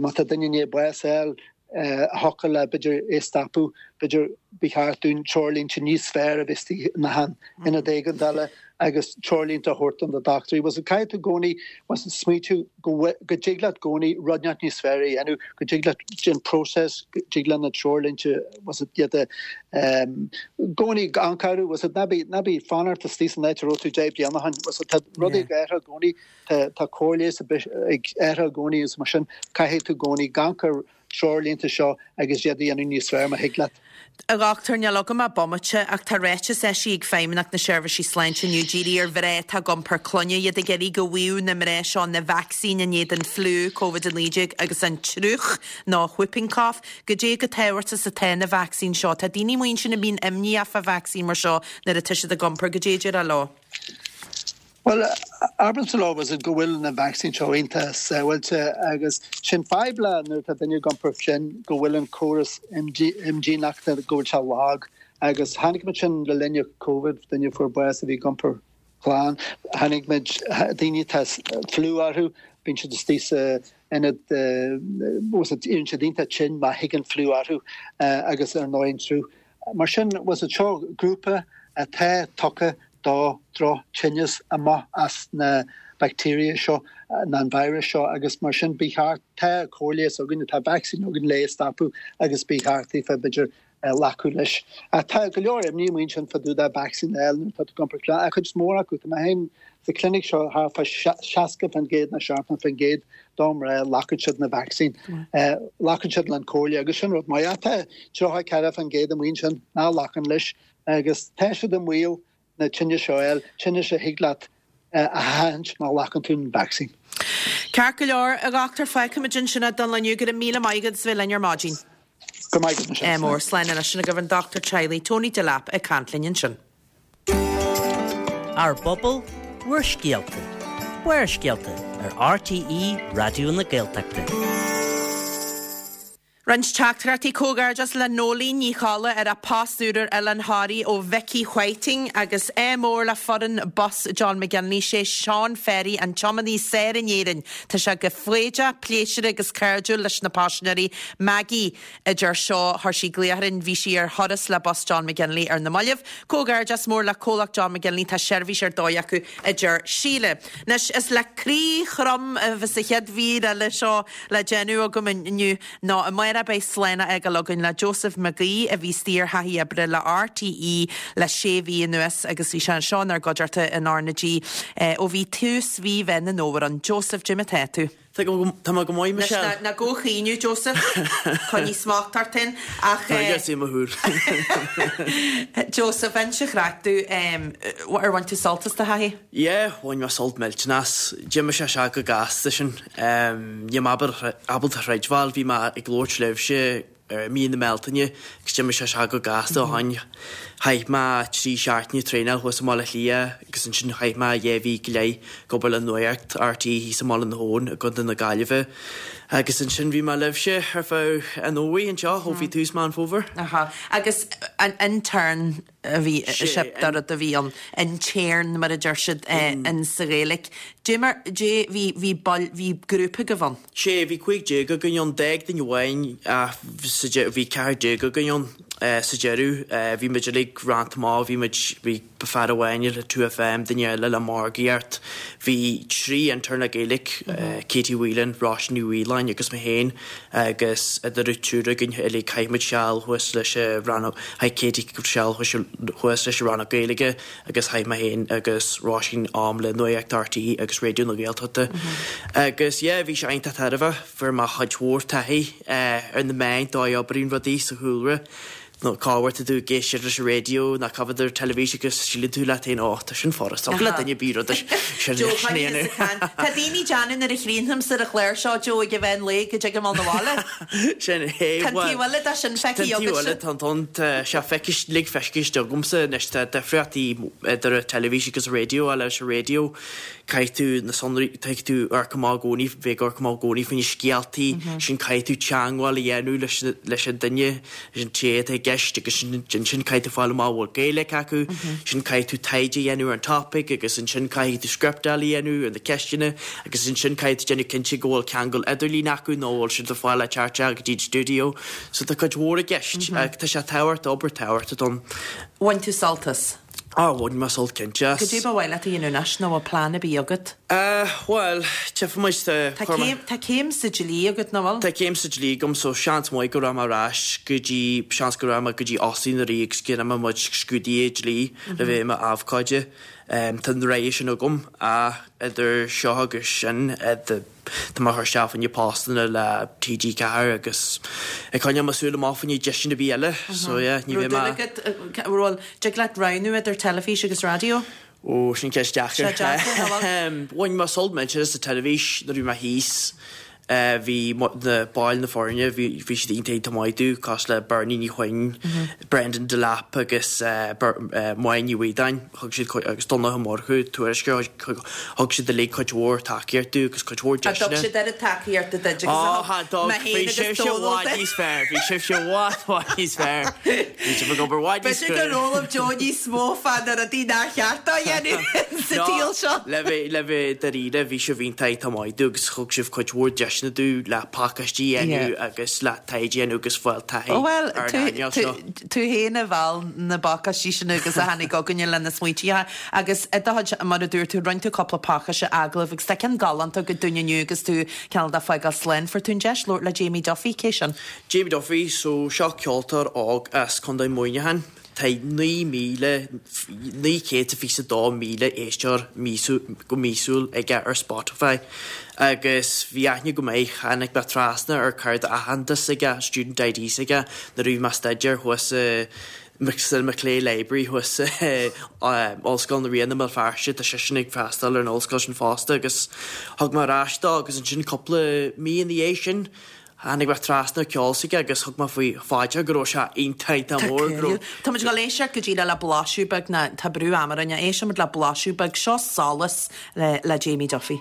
F: má tá duine i ndiaidh bás a fháil a thiocfadh le b'fhéidir é a stopadh, b'fhéidir ba cheart dúinn treoirlínte níos fearr a bheith istigh in achan ionad éigeandála agus treoirlínte a thabhairt do na dochtúirí. Bhfuil a fhios agat, caithfidh tú i gcónaí smaoitiú go go dtig leat i gcónaí rud inteacht níos fearr a dhéanamh, go dtig leat an próiseas, go dtig le na treoirlínte, bhfuil a fhios agat, iad a i gcónaí ag amharc orthu, bhfuil a fhios agat, ná bí, ná bí ag fanacht istigh san áit a raibh tú 10 bliana ó shin, bhfuil a fhios agat, tá rudaí ag athrú i gcónaí, tá, tá cóir leighis ag athrú i gcónaí agus mar sin caithfidh tú i gcónaí amharc ar treoirlínte seo agus iad a dhéanamh níos fearr má thig leat.
A: A dhochtúir, níl agam ach bomaite, ach tá ráiteas eisithe ag Feidhmeannacht na Seirbhísí Sláinte inniu dírithe ar mhná atá ag iompar clainne, iad ag iarraidh go bhfaigheadh na mná seo na vacsaín in éadan fliú, Covid-19 agus an triúch nó whooping cough. Goidé chomh tábhachtach is atá na vacsaín seo? Tá daoine amuigh ansin a mbíonn imníoch fá vacsaín mar seo nuair atá siad ag iompar. Goidé a déarfá leo?
F: Bhuel, abraimse leo is go bhfuil na vacsaín seo iontach sábháilte agus sin fadhb le nuair atá duine ag iompar sin go bhfuil an córas imdhíonachta go bhfuil sé lag agus chonaic muid sin le linn Covid, duine a fuair bás a bhí ag iompar clann, chonaic muid daoine atá fliú orthu, bíonn siad istigh sa ionad, bhfuil a fhios agat, éiríonn siad iontach tinn má thig an fliú orthu agus ar ndóigh an triúch. Mar sin, bhfuil a fhios agat, seo grúpa atá tugtha do droch-tinneas amach as na bacteria seo, nó an virus seo agus mar sin ba cheart, tá cóir leighis againn, tá vacsaín againn le é a stopadh agus ba cheart daofa b'fhéidir glacadh leis. Ach tá go leor imní amuigh ansin fá dtaobh de vacsaín a fháil nuair atá tú ag iompar clainne, ach cuid mhór acu, tá mé féin sa clinic seo thart fá 60% nó 70% de mhná glacann siad na vacsaín, glacann siad le an comhairle agus sin rud maith. Ach tá 34% amuigh ansin nach nglacann leis agus tá siad i mbaol na tinnis seo a fháil, tinnis a thig leat a sheachaint má ghlacann tú an vacsaín.
A: Ceart go leor, a dhochtúir, fágfaimid ansin é don lá inniu. Go raibh míle maith agat as bheith linn ar maidin.
F: Go raibh maith agat, Michelle.
A: Ádh mór, slán anois. Sin agaibh an dochtúir teaghlaigh, Tony Delap, ag caint linn ansin.
G: Ár bpobal, bhur scéalta. Barrscéalta ar RTÉ Raidió na Gaeltachta.
A: Roinnt teachtaireachtaí Comhghairdeas le Nóilín Ní Cholla ar a post úr ar Oileán Thoraí ó Vicky Whiting agus ádh mór le foireann bus John McGinley. Sé Seán Ferry an tiománaí is fearr in Éirinn. Tá sé go foighdeach, pléisiúrtha agus cairdiúil leis na paisinéirí. Maggie a deir seo, chuir sí glaoch orainn, bhí sí ar thuras le bus John McGinley ar na mallaibh. Comhghairdeas mór le comhlacht John McGinley, tá seirbhís ar dóigh acu, a deir Síle. Anois, is le croí throm a bheas an chéad mhír eile seo le déanamh agam inniu ná amárach beidh slán a fhágáil againn le Joseph Mac Aoidh a bhí istigh ar thaithí oibre le RTÉ le sé mhí anuas agus bhí sé anseo inár gcuideachta in R na G ó bhí tús mhí Mheán an Fhómhair ann. Joseph, goidé mar atá tú?
H: Tá mé go maith,
A: Michelle. Anois, ná gabh a chaoineadh, Joseph. Coinnigh smacht ort féin. Ach.
H: Tá aige i mo shúil.
A: Joseph, inis an chraic domh, ar bhain tú sult as do thaithí?
H: Yeah, bhain mé sult millteanach as. D'imigh sé isteach go gasta sin. Níl mé ábalta a chreidbheáil, bhí mé ag labhairt libhse i mí na Bealtaine agus d'imigh sé isteach go gasta ó shin. Chaith mé 3 seachtaine traenáil thuas i mBaile Átha Cliath agus ansin chaith mé 2 mhí go leith ag obair le Nuacht RTÉ thíos i mBaile na hAbhann i gContae na Gaillimhe. Agus ansin bhí mé libhse ar feadh an fhómhair anseo ó bhí tús Meán Fómhair.
A: Aha. Agus an intern a bhí, sin an rud a bhí ann, intern mar a deir siad in sa Ghaeilge. Dé mar, dé, bhí, bhí baill, bhí grúpa agaibh ann.
H: Sé, bhí 15 againn ann, d'fhág duine amháin ach sa deireadh, bhí 14 againn ann sa deireadh. Bhí muid uilig roinnte amach, bhí muid, bhí fear amháin le 2FM, duine eile le margaíocht, bhí trí intern le Gaeilge, Katie Whelan, Róisín Ní Mhaoláin agus mé féin agus idir an triúr againn uilig chaith muid seal thuas leis an rannóg, chaith Katie seal thuas leis an rannóg Gaeilge agus chaith mé féin agus Róisín am le Nuacht RTÉ agus Raidió na Gaeltachta. Agus yeah, bhí sé iontach tairbheach, fuair mé cuid mhór taithí ar na meáin, dóigh a oibríonn rudaí sa chúlra. Nó cá huair tá tú ag éisteacht leis an raidió ná cá bhfad ar an teilifís agus síleann tú leat féin, ó, tá sin furast, thig le duine ar bith rud sin
A: Joe, a dhéanamh. Tá daoine ag déanamh nuair a chríochnaímse ar an chlár seo, Joe, ag an mheán lae go dtig mé 'na bhaile.
H: Sin é,
A: Tá an taobh eile de sin feicthe
H: Tá an taobh eile, tá an tá sé feicthe, lig feicthe agamsa anois, tá difríochtaí idir an teilifís agus an raidió, leis an raidió caithfidh tú na sonraí, caithfidh tú amharc amach i gcónaí, bheith ag amharc amach i gcónaí faoi na scéaltaí, sin caithfidh tú teangmháil a dhéanamh leis leis an duine, leis an té atá i gceist agus ansin caithfidh tú fáil amach an bhfuil Gaeilge acu, sin caithfidh tú taighde a dhéanamh ar an topic agus ansin caithfidh tú scriptáil a dhéanamh ar na ceisteanna agus ansin caithfidh tú déanamh cinnte go bhfuil ceangal idirlín acu nó bhfuil siad ar fáil le teacht isteach go dtí an stiúideo. So tá cuid mhór i gceist ach tá sé tábhachtach, obair tábhachtach ann.
A: Bhain tú sult as?
H: Á, bhain mé sult cinnte as.
A: Goidé ba mhaith leat a dhéanamh anois nó bhfuil plean ar bith agat?
H: Eh, bhuel, tchífidh muid, tá,
A: Tá chuir mé. céim, tá céim sa dlí agat, nach bhfuil?
H: Tá céim sa dlí agam so seans maith go rachaidh mé ar ais go dtí, seans go rachaidh mé go dtí Óstán an Rí agus go ndéanfaidh mé mo chuid scrúduithe dlí le bheith i m'abhcóide. Tá an rogha sin agam ach idir seo agus sin, Tá mé ag cur isteach fá choinne postanna le TG4 agus ag coinneáil mo súil amach fá choinne deiseanna ar bith eile. So yeah, ní bheidh mé.
A: Raibh dúil agat, bhuel, dtig leat roghnú idir teilifís agus raidió?
H: Ó, sin ceist deacair.
A: Sé deacair, nach
H: bhfuil? Bhain mé sult millteanach as an teilifís nuair a bhí mé thíos. Bhí na baill na foirne, bhí siad iontach iontach maith domh, cosúil le Bernie Ní Chuinn, Brendan Delap agus Máire Ní Mhaodáin, thug siad cuid, agus Donncha Ó Murchú, tuairisceoir, thug siad uilig cuid mhór tacaíocht domh agus cuid mhór
A: deiseanna. Thug siad oiread tacaíochta duit agus a thug mé féin agus Dónal
H: duit. Bhí sibhse i bhfad níos fearr, bhí sibhse i bhfad, bhfad níos fearr. Bhí sibh ag obair i bhfad níos
A: B'fhéidir gur fhoghlaim Joe níos mó fá na rudaí nár cheart dó a dhéanamh sa tsaol seo.
H: Le bheith, le bheith dáiríre, bhí sibh iontach iontach maith domh agus thug sibh cuid mhór deiseanna domh le pacáistí a dhéanamh agus le taighde a dhéanamh agus fáil taithí
A: ar an earnáil seo. Tú féin a mheall na pacáistí sin agus a tháinig chugainne le na smaointí agus i do chuid, mar a dúirt tú, rinne tú cúpla pacáiste agallamh agus tá ceann galánta agat dúinn inniu agus tú cineál de fágáil slán. Fuair tú an deis labhairt le Jamie Duffy, cé sin?
H: Jamie Duffy, so seo ceoltóir óg as Contae Mhuineacháin. Tá 9,922,000 éisteoir go míosúil aige ar Spotify agus bhí aithne go maith, tháinig mé trasna ar cárta aitheantais s'aige, student ID s'aige, nuair a bhí mé ag staidéar thuas sa McClay Library thuas i Ollscoil na Ríona i mBéal Feirste, tá seisean ag freastal ar an ollscoil sin fosta agus thug mé ar ais dó agus ansin cúpla mí ina dhiaidh sin, Tháinig mé trasna ar ceol s'aige agus thug mé faoi deara go raibh sé iontach iontach mór, go raibh.
A: Tá muid ag dul éisteacht go díreach le blaiseadh beag, ná tá brú ama orainn, éistfidh muid le blaiseadh beag, seo Solas le le Jamie Duffy.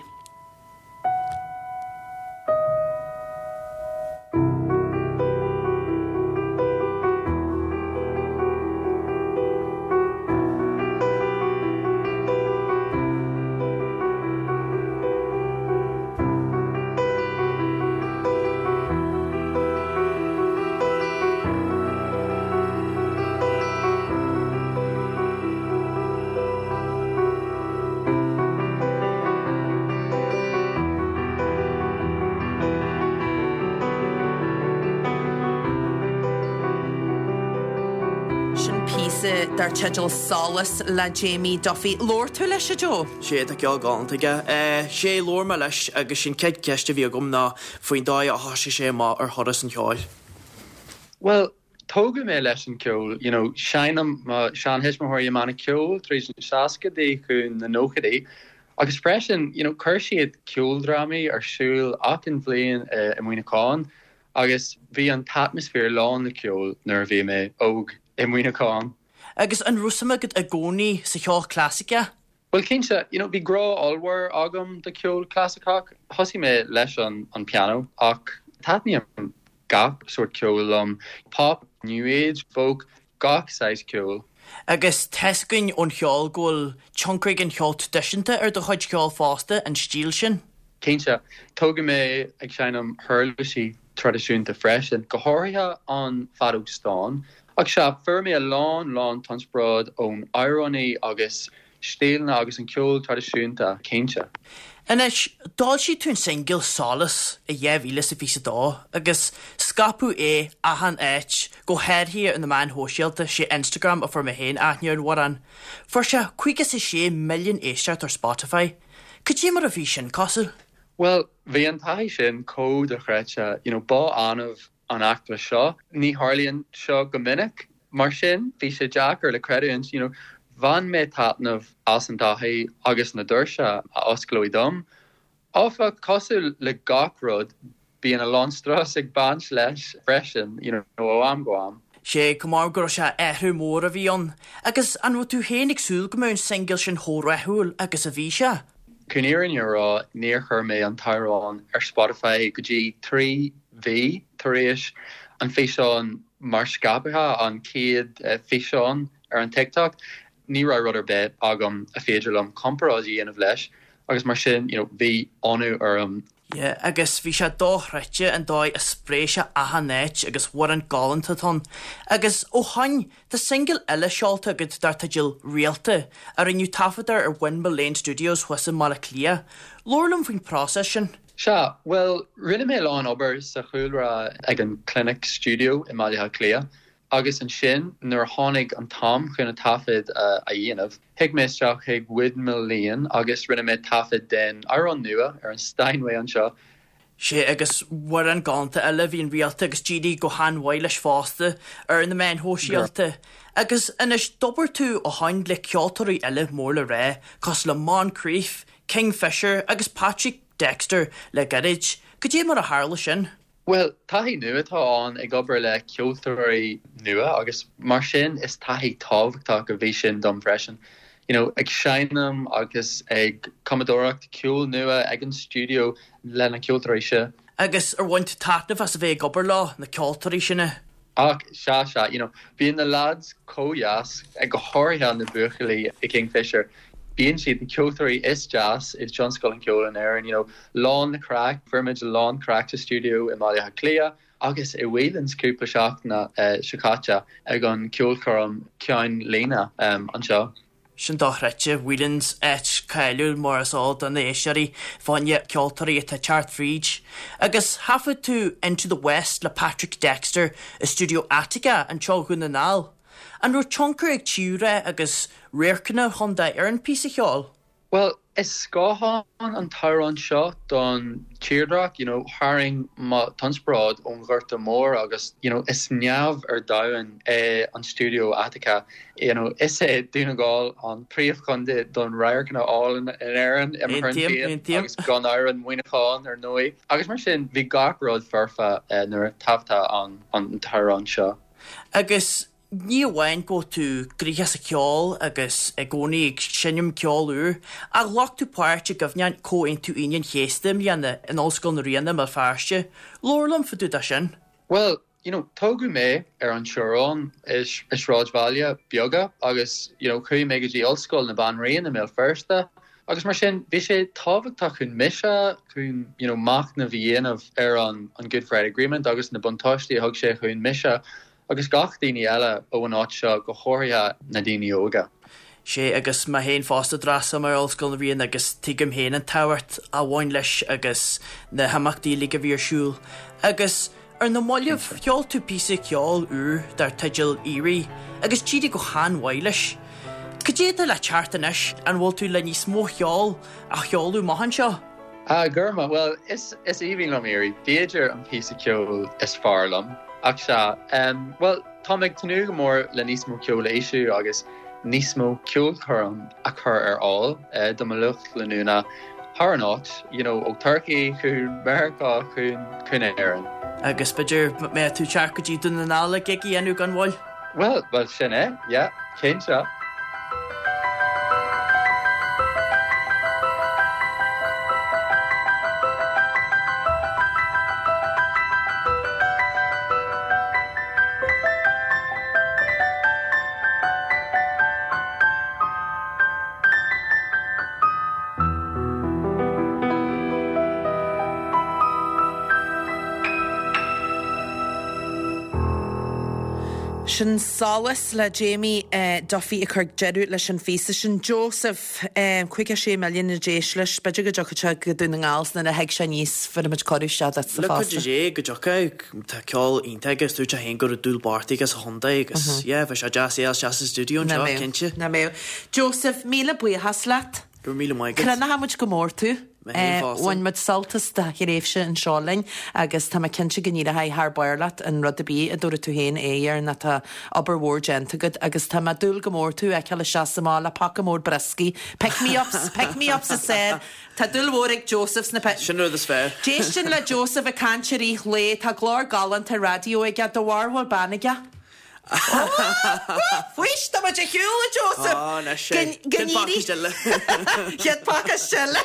A: dar teideal Solas le Jamie Duffy. Labhair tú leis, a Joe?
H: Sé, tá ceol galánta aige. Sé, labhair mé leis agus sin chéad cheist a bhí agam ná faoin dóigh a thosaigh sé amach ar thuras an cheoil.
I: Bhuel, tógadh mé leis an ceol, you know, seinm mo seanthuismitheoirí i mbanna ceoil tríd na seascaidí chun na nóchaidí agus freisin, you know, chuir siad ceoldrámaí ar siúl achan bhliain i Muineachán agus bhí an t-atmaisféar lán le ceol nuair a bhí mé óg i Muineachán.
H: Agus an raibh suim agat i gcónaí sa cheol clasaiceach?
I: Bhuel cinnte, you know, bhí grá ollmhór agam do cheol clasaiceach. Thosaigh mé leis an an pianó ach taitníonn gach sórt ceoil liom, pop, new age, folk, gach saghas ceoil.
H: Agus tá's againn ón cheol go bhfuil tionchar ag an cheol traidisiúnta ar do chuid ceoil fosta, an stíl sin?
I: Cinnte. Tógadh mé ag seinm huirlisí traidisiúnta freisin, go háirithe an feadóg stáin. Ach sea, fuair mé a lán, lán t-inspioráid ón amhránaí agus stíleanna agus an ceol traidisiúnta, cinnte.
H: Anois, d'fhoilsigh tú an singil 'Solas' i 2022 agus scaipeadh é achan áit, go háirithe ar na meáin shóisialta, sé Instagram a fuair mé féin aithne ar an amhrán. Fuair sé 56 milliún éisteacht ar Spotify. Cad é mar a bhí sin cosúil?
I: Bhuel, bhí an taithí sin chomh dochreidte, you know, ba annamh an eachtra seo. Ní tharlaíonn seo go minic. Mar sin, bhí sé deacair le creidiúint, you know, bhain mé taitneamh as an taithí agus na doirse a osclaíodh dom. Áfach, cosúil le gach rud, bíonn a lán strus ag baint leis freisin, you know, ó am go am.
H: Sé, cuma orm go raibh sé athrú mór a bhí ann. Agus an raibh tú féin ag súil go mbeadh an singil sin chomh rathúil agus a bhí sé?
I: Chun fhírinne a rá, níor chuir mé an t-amhrán ar Spotify go dtí 3 mhí tar éis an físeán mar scaipthe, an chéad físeán ar an TikTok. Ní raibh rud ar bith agam a féidir liom comparáid a dhéanamh leis agus mar sin, you know, bhí ionadh orm.
H: Yeah, agus bhí sé dochreidte an dóigh a spréigh sé achan áit agus amhrán galánta atá ann. Agus ó shoin, tá singil eile seolta agat dar teideal 'Réalta', a rinneadh taifead air ar Windmill Lane Studios thuas i mBaile Átha Cliath. Labhair liom faoin próiseas sin.
I: Sea, bhuel, rinne mé a lán obair sa chúlra ag an Clinic Studio i mBaile Átha Cliath agus ansin nuair a tháinig an t-am chun an taifead a dhéanamh, Thit mé isteach chuig Windmill Lane agus rinne mé taifead den amhrán nua ar an Steinway anseo.
H: Sé agus amhrán galánta eile a bhí in Réalta agus d'éirigh go han-mhaith leis fosta ar na meáin shóisialta. Agus anois d'obair tú ó shoin le ceoltóirí eile mór le rá, cosúil le Moncrieff, Kingfisher agus Patrick Dexter le gairid. Cad é mar a tharla sin?
I: Bhuel, taithí nua atá ann ag obair le ceoltóirí nua agus mar sin is taithí tábhachtach a bhí sin dom freisin. You know, ag seinm agus ag cumadóireacht ceol nua ag an stiúideo le na ceoltóirí seo.
H: Agus ar bhain tú taitneamh as a bheith ag obair leo, na ceoltóirí sin?
I: Ach sea, sea, you know, bíonn na lads chomh dheas, go háirithe na buachaillí i Kingfisher, bíonn siad na ceoltóirí is deas i dtionscal an cheoil in Éirinn, you know, lán le craic, fuair muid a lán craic sa stiúideo i mBaile Átha Cliath agus i Whelan's cúpla seachtaine seo caite ag an ceolchoirm ceann líne anseo.
H: Sin dochreidte. Whelan's, áit cáiliúil mar is eol do na éisteoirí fá choinne ceoltóirí atá ag teacht fríd. Agus thaifead tú Into the West le Patrick Dexter i stiúideo Attica anseo Dhún na nGall. An raibh tionchar ag tírdhreach agus radharcanna an chontae ar an phíosa cheoil?
I: Bhuel, is scáthán an t-amhrán seo don tírdhreach, you know, tharraing mo t-inspioráid ón Ghorta Mór agus, you know, is neamh ar domhan é an stiúideo Attica, you know, is é Dún na nGall an príomhchontae don radharcanna álainn in Éirinn, i mo thuairim féin, agus gan amhras Muineachán, ar ndóigh. Agus mar sin, bhí gach rud foirfe nuair a taifeadadh an t-amhrán seo.
H: Agus Ní amháin go bhfuil tú gnoitheach sa cheol agus i gcónaí ag seinm ceol úr, ach ghlac tú páirt i gcuimhneachán Chomhaontú Aoine an Chéasta i mbliana in Ollscoil na Ríona i mBéal Feirste. Labhair liom fá dtaobh de sin.
I: Bhuel, you know, tógadh mé ar an teorainn i sráidbhaile beaga agus, you know, chuaigh mé go dtí Ollscoil na Banríon i mBéal Feirste agus mar sin bhí sé tábhachtach chun mise chun, you know, machnamh a dhéanamh ar an Good Friday Agreement agus na buntáistí a thug sé chun mise Agus gach daoine eile ó an áit seo, go háirithe na daoine óga.
H: Sé, agus mé féin fosta, d'fhreastail mé ar Ollscoil na Ríona agus tuigim féin an tábhacht a bhain leis agus na himeachtaí uilig a bhí ar siúl. Agus. Ar na mallaibh, sheol tú píosa ceoil úr dar teideal 'Éirigh' agus d'éirigh go han-mhaith leis. Cad é atá le teacht anois, an bhfuil tú le níos mó cheoil a sheoladh amach anseo?
I: Ah, grma, bhuel, is is aoibhinn liom Éirigh, b'fhéidir an píosa ceoil is fearr liom. Ach sea, em, bhuel, táim ag tnúth go mór le níos mó ceoil a eisiú agus níos mó ceolchoirm a chur ar fháil do mo lucht leanúna thar an áit, you know, ó Turkey chun Meiriceá chun chun Éirinn.
H: Agus b'fhéidir mbeidh tú ag teacht go dtí Dún na nGall le gig a dhéanamh gan mhoill?
I: Bhuel, bhuel sin é, yeah, cinnte.
A: Sin Solas le Jamie Duffy ag cur deireadh leis an phíosa sin. Joseph, 56 milliún ag éist leis. B'fhéidir go dtiocfaidh sé go Dún na nGall 's nuair a thig sé aníos bhéarfaidh muid cuireadh isteach duitsa
H: Le
A: fosta.
H: cuidiú Dé go dtiocfaidh. Tá ceol iontach aige, dúirt sé féin go raibh dúil bocht aige sa chontae agus yeah, bheadh sé deas é a fháil isteach sa stiúideo anseo, cinnte.
A: Nach mbeadh. Joseph, míle buíochas leat.
H: Go raibh míle maith agat.
A: Crothnaigh muid go mór tú.
H: Mé féin fosta.
A: Bhain muid sult as do thréimhse anseo linn agus tá mé cinnte go n-éireoidh thar barr leat in rud ar bith a dtabharfaidh tú féin aghaidh air nó tá obair mhór déanta agat agus tá mé ag dúil go mór tú a fheiceáil isteach sa mbaile le paca mór brioscaí, pick me ups, pick me ups is fearr. Tá dúil mhór ag Joseph sna pe.
H: Sin rud is fearr.
A: D'éistinn le Joseph ag caint i rith lae, tá glór galánta raidió aige, do bharr bhfuil bean aige? Faois, tá muid ar shiúl, a Joseph!
H: Á, anois é.
A: Go
H: Chéad pacáiste eile.
A: Chéad pacáiste eile.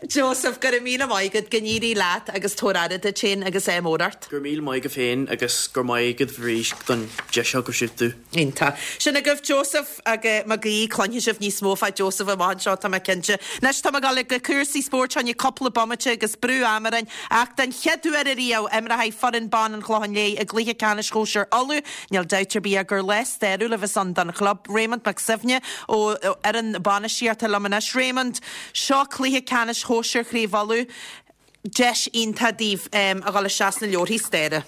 A: Joseph, go raibh míle maith agat, go n-éirí leat agus tabhair aire duit féin agus ádh mór ort.
H: Go raibh míle maith agat féin agus go raibh maith agat arís don deis seo go raibh tú.
A: Iontach. Sin agaibh Joseph agus Mac Aoidh. Cluinfidh sibh níos mó fá Joseph amach anseo, tá mé cinnte. Anois tá mé ag dul go cúrsaí spóirt fá choinne cúpla bomaite agus brú ama orainn ach den chéad uair ariamh imreoidh foireann ban an Chlocháin Léith i gcluiche ceannais shóisir Uladh. Níl dabht ar bith ach gur lá stairiúil a bheas ann don chlub. Raymond Mac Suibhne ó fhoireann bainistíochta liom anois. Raymond, seo cluiche ceannais shóisir Chraobh Uladh. Deis iontach daoibh a dhul isteach sna leabharthaí staire.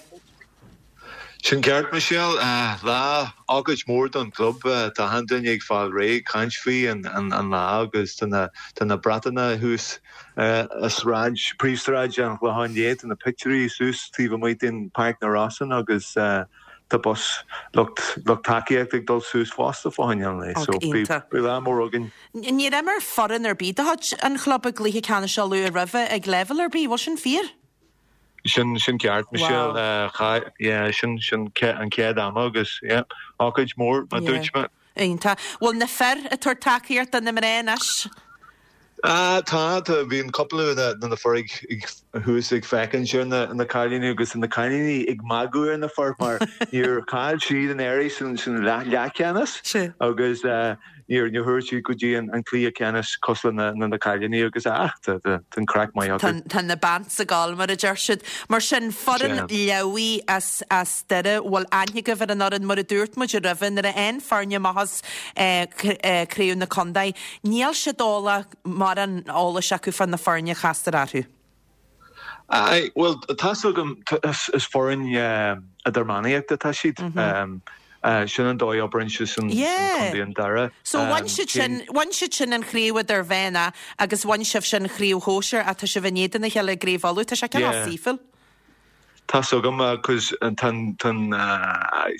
J: Sin ceart, Michelle. Lá, ócáid mór don chlub. Tá achan duine ag fáil réidh caint faoi an lá agus tá na tá na bratanna thuas i sráid, príomhsráid an Chlocháin Léith, tá na pictiúirí suas taobh amuigh den Páirc na Rosann agus tá bus lucht lucht tacaíochta ag dul suas fosta fá choinne an lae. So beidh lá mór againn.
A: Níor imir foireann ar bith de chuid an chlub i gcluiche ceannais Uladh roimhe ag leibhéal ar bith, bhfuil sin fíor?
J: Sin, sin ceart, Michelle. Wow. Yeah, sin, sin an chéad ama agus, yeah, ócáid mór, mar dúirt mé.
A: Iontach. Bhfuil na fir ag tabhairt tacaíocht do na mná anois?
J: Ah, tá, tá, bíonn cúpla de na fir ag, ag, thuas ag féachaint ar na, na cailíní agus na cailíní ag magadh ar na fir mar níor chaill siad an oiread san, san leath, leathcheannas agus, eh, Níor chuaigh siad go dtí an cluiche ceannais cosúil le na cailíní agus ach tá an craic maith acu.
A: Tá na bants ag gabháil mar a deir siad. Mar sin, foireann Leamhaí as as Doire, bhfuil aithne agaibh ar an fhoireann mar a dúirt muid roimhe nuair a fhaigheann foirne amach as craobh na contae, níl siad eolach mórán eolais acu fá na foirne a chastar orthu.
J: Aye, bhuel, tá's agam, is foireann idirmheánaíochta atá siad. Sin an dóigh a oibríonn siad san Contae an Doire.
A: So bhain siad sin, bhain siad sin an chraobh idirmheánach agus bhain sibhse an chraobh shóisir ach tá sibh in éadan a chéile i gCraobh Uladh. Tá sé cineál saoithiúil.
J: Tá's agam, cos tá an, tá an,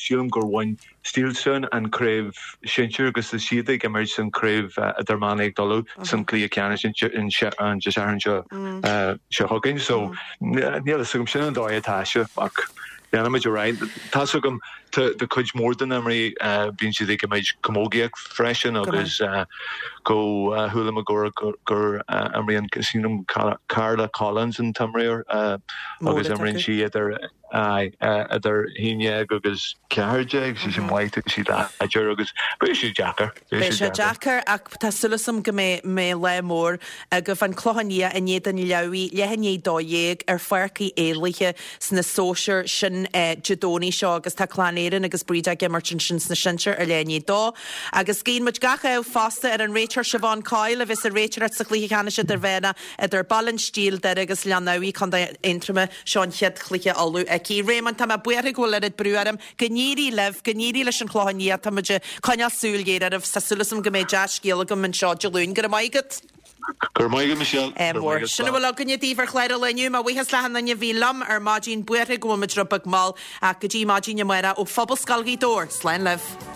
J: sílim gur bhain Steelstown an craobh sinsir agus is iad ag imirt san craobh idirmheánaíocht Uladh san cluiche ceannais an Dé Sathairn seo seo chugainn. So níl a fhios agam, sin an dóigh atá sé ach leanfaimid ar aghaidh. Tá's agam tá cuid mhór de na imreoirí bíonn siad ag imirt camógaíocht freisin agus go chuala mé gur gur imríonn sílim Carla Collins an t-imreoir agus imríonn sí idir Aye, idir 11 agus 14, sí sin maith, tá sí láidir agus beidh sé deacair,
A: beidh sé deacair. Ach tá súil agam go mbeidh lá mór agaibh. An Clochán Liath in éadan Leamhaí, leath i ndiaidh 12 ar Pháirc Uí Éalaithe sna sóisir. Sin. ansin Dé Domhnaigh seo agus tá Clann Éireann agus Bríd ag imirt ansin sna sinsir ar leath i ndiaidh a dó. Agus guíonn muid gach ádh fosta ar an réiteoir Siobhán Coyle a bheas ag réiteoireacht sa chluiche ceannais idirmheánach idir Baile an Stíl, Doire agus Gleann Fhabhaidh, Contae Aontroma. Seo an chéad chluiche Uladh aici. Réamonn, tá mé buartha go bhfuil oiread brú orm. Go n-éirí libh, go n-éirí leis an Chlochán Liath. Tá muid ag coinneáil súil ghéar oraibh. Tá súil agam go mbeidh dea-scéal agam anseo Dé Luain. Go raibh maith agat.
J: Go raibh maith agat, Michelle.
A: Go raibh maith agat. Sin a bhfuil againne daoibh ar chlár an lae inniu. Mo bhuíochas le achan duine a bhí liom ar maidin. Buartha go bhfuil muid rud beag mall ach go dtí maidin amárach ó Phobalscoil Ghaoth Dobhair. Slán libh.